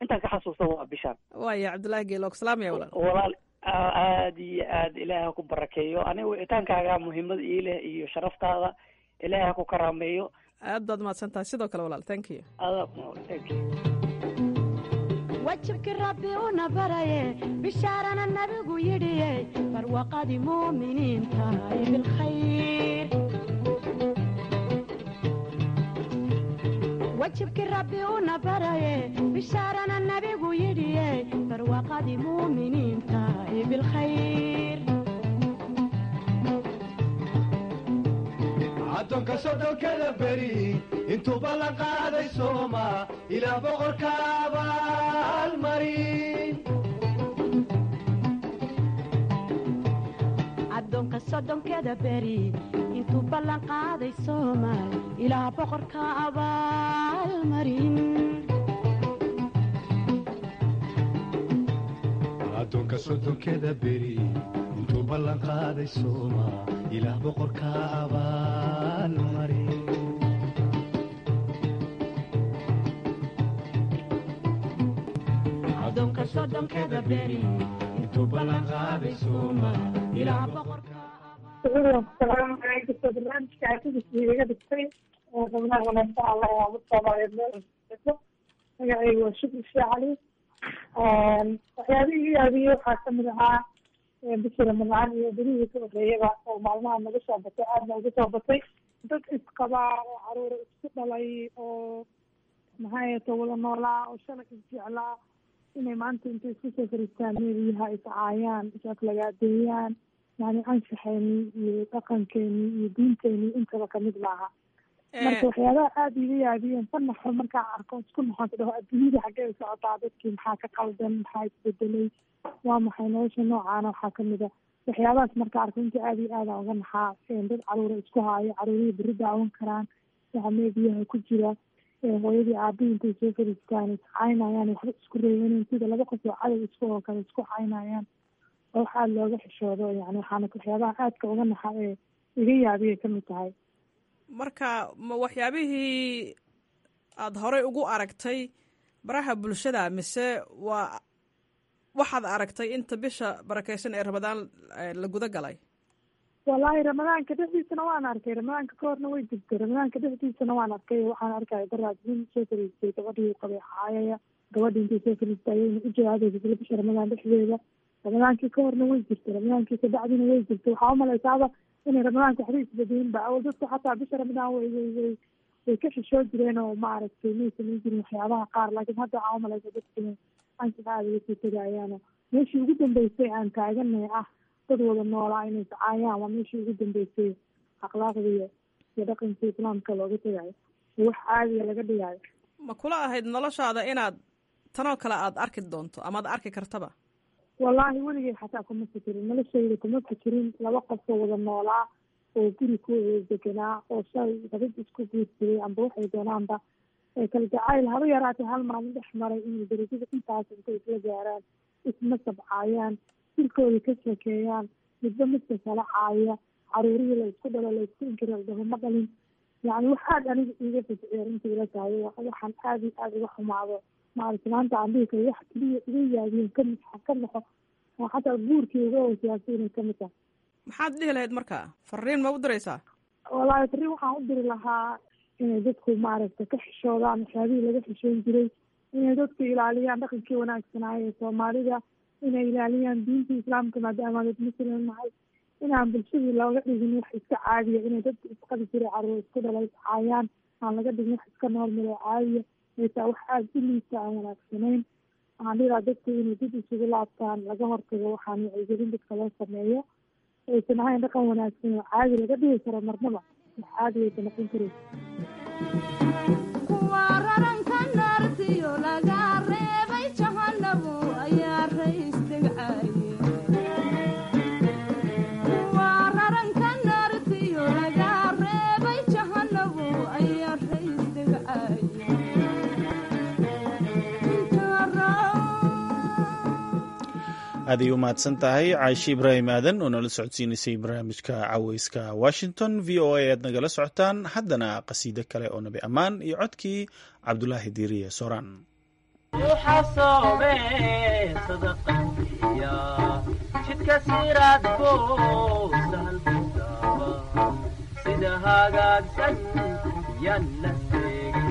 intaan ka xasuusto waa bishaan. Waaya, Cabdullaahi Geelo, salaamaya walaal. Walaal, aad iyo aad, Ilaahay ha ku barakeeyo. Aniga wicitaankaaga muhiimad ii leh iyo sharaftaada, Ilaahay ha ku karaameeyo. Aad baad mahadsan tahay sidoo kale walaal, thank you. Adaa, thank you. Wajibkii Rabbi una baraye, bishaarana Nabigu yidhiye, barwaqadii muuminiinta ee bilkhayr. Wajibkii Rabbi una baraye, bishaarana Nabigu yidhiye, barwaqadii muuminiinta ee bilkhayr. Addoonka soddonkada beri intuuba la qaaday sooma, ilaa boqorka abaalmarin. Addoonka soddonkeda beri intuu ballan qaaday soomaal, ilaa boqorka abaalmarin. Addoonka soddonkeda beri intuu ballan qaaday sooma, ilaah boqorka abaalmarin. Addoonka soddonkeda beri intuu ballan qaaday sooma, ilaah boqorka. Barnaamijka iga dhigtay xubnaha wanaagsan, Allah yaa Soomaaliyeed meel cusub. Magacaygu waa Shukri Shee Cali. Waxyaabihii iga yaabiyey waxaa kamid ahaa bishii Ramadaan iyo berihii ka horreeyaba oo maalmaha naga soo batay, aadna uga soo batay, dad isqabaa oo caruura isku dhalay oo maxay ahato wada noolaa oo shalay isjeclaa inay maanta intay isku soo fariistaan meeliyaha iscaayaan, is aflagaadeeyaan. Yani anshaxeeni iyo dhaqankeeni iyo diinteeni intaba kamid maaha. Marka waxyaabaha aada iga yaabiyeen ka naxo markaan arko, isku naxo, dhaho adduunyada xaggee u socotaa, dadkii maxaa ka qaldan, maxaa isbedelay, waa maxay nolosha noocaana? Waxaa kamid a waxyaabahaas marka arko inta aada iyo aada uga naxaa, dad caruura isku haayo, caruurihii berri daawan karaan waxa meediyaha ku jira, hooyadii aabihii intay soo fariistaan iscaynayaan, waxba isku reebaneyn, sida laba qof oo cadow isku oo kale isku caynayaan, oo wax aada looga xishoodo. Yani waxaana waxyaabaha aadka uga naxa ee iga yaabiyay kamid tahay. Marka ma waxyaabihii aada horey ugu aragtay baraha bulshada mise waa waxaad aragtay inta bisha barakeysan ee Ramadaan la guda galay? Wallaahi Ramadaanka dhexdiisana waan arkay, Ramadaanka ka horna way jirtay, Ramadaanka dhexdiisana waan arkay. Waxaan arkaya daraad nin soo fariistay gabadhii uu qabay caayaya, gabadhii intay soo fariistay ayayna u jawaabaysa isla bisha Ramadaan dhexdeeda. Ramadaankii ka horna way jirtay, Ramadaankii kabacdina way jirtay. Waxaa umalaysaaba inay Ramadaanka waxba isbedelin ba. Awal dadku xataa bisha Ramadaan way ka xishoo jireen oo maaragtay may samayn jirin waxyaabaha qaar, laakiin hadda waxaa umalaysa dadku inay anshaxa aada uga sii tegayaano. Meeshii ugu dambeysay aan taaganay ah dad wada noolaa inay iscaayaan waa meeshii ugu dambeysay akhlaaqda iyo dhaqanka islaamka looga tegayo, wax caadiya laga dhigayo. Ma kula ahayd noloshaada inaad tanoo kale aada arki doonto ama ad arki kartaba? Wallaahi weligay xataa kuma fikirin, noloshayda kuma fikirin laba qof oo wada noolaa oo guri ku deganaa oo shalay rabid isku guursaday amba waxay doonaanba kala jacayl haba yaraatay hal maalin dhex maray inay darajada intaas intay isla gaaraan, isma sabcaayaan, jirkooda ka sheekeeyaan, midba midka kala caaya, caruurihii la isku dhalo la isku inkiro la dhaho ma dhalin. Yacni wax aada aniga iiga fajciya runtii ila tahay, waxaan aada iyo aada uga xumaado maaragtay maanta aan dhihi karo wax keliya iga yaabiyen kamid ka naxo oo xataa guurkii uga hooseyaasay inay kamid tahay. Maxaad dhihi lahayd marka? Fariin ma u diraysaa? Wallaahi fariin waxaan u diri lahaa inay dadku maaragtay ka xishoodaan waxyaabihii laga xishoon jiray, inay dadku ilaaliyaan dhaqankii wanaagsanaayo ee Soomaalida, inay ilaaliyaan diinta islaamka maadaama dad muslim nahay, inaan bulshadii looga dhigin wax iska caadiya, inay dadku isqabi jiray caruur isku dhalay iscaayaan aan laga dhigin wax iska normal oo caadiya, xitaa wax aada u liita aan wanaagsanayn. Waxaan dhihi lahaa dadku inay dib isugu laabtaan, laga hortago waxaan wacyigelin dadka loo sameeyo, aysan ahayn dhaqan wanaagsan oo caadi laga dhigi karo marnaba, wax caadi aysan noqon karin. Kuwa raranka naartiyo laga reebay jahanabu ayaa raystegcaye. Kuwa raranka naartiyo laga reebay jahanabu ayaa raystegcaye. Aad ay u mahadsan tahay Caashi Ibraahim Aadan oo nala socodsiinaysay barnaamijka Caweyska Washington. VOA aad nagala socotaan. Haddana qasiido kale oo nabi ammaan iyo codkii Cabdulaahi Diiriye Sooraan. Jidka siraadko sahalkudaaba sida hagaagsan yaan la seegin.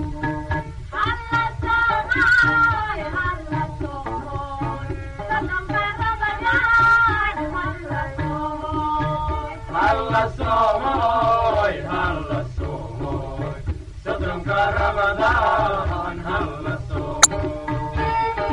Halla soomoy, halla soomoy, soddonka Ramadaan halla soomoy.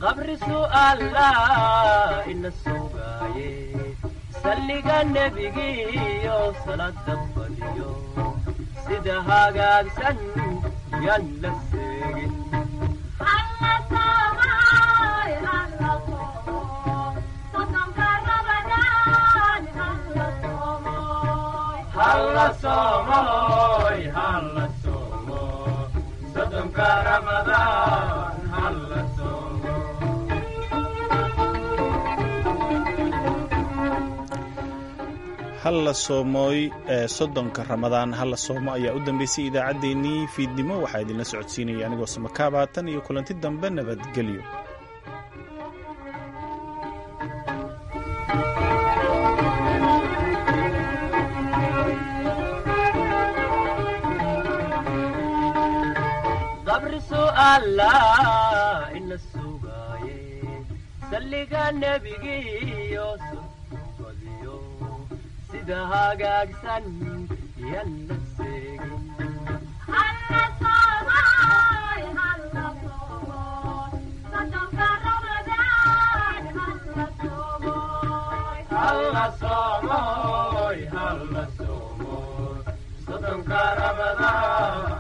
Qabri su'aalaa ina sugaaye, salliga nebigiyo salaada badiyo sida hagaagsan yaan la seegin. Halla soomoy, halla soomo, soddonka Ramadaan halla soomo. Halla soomooy ee soddonka Ramadaan halla soomo ayaa u dambeysay idaacaddeenii fiidnimo. Waxaa idinla socodsiinaya anigoo Samakaaba. Tan iyo kulanti dambe, nabadgelyo. Qabri su'aalaa ina sugaaye, salliga nebigiyo badiyo sida hagaagsan yaan la seegin. Halla soomoy, halla soomoy, soddonka Ramadaan.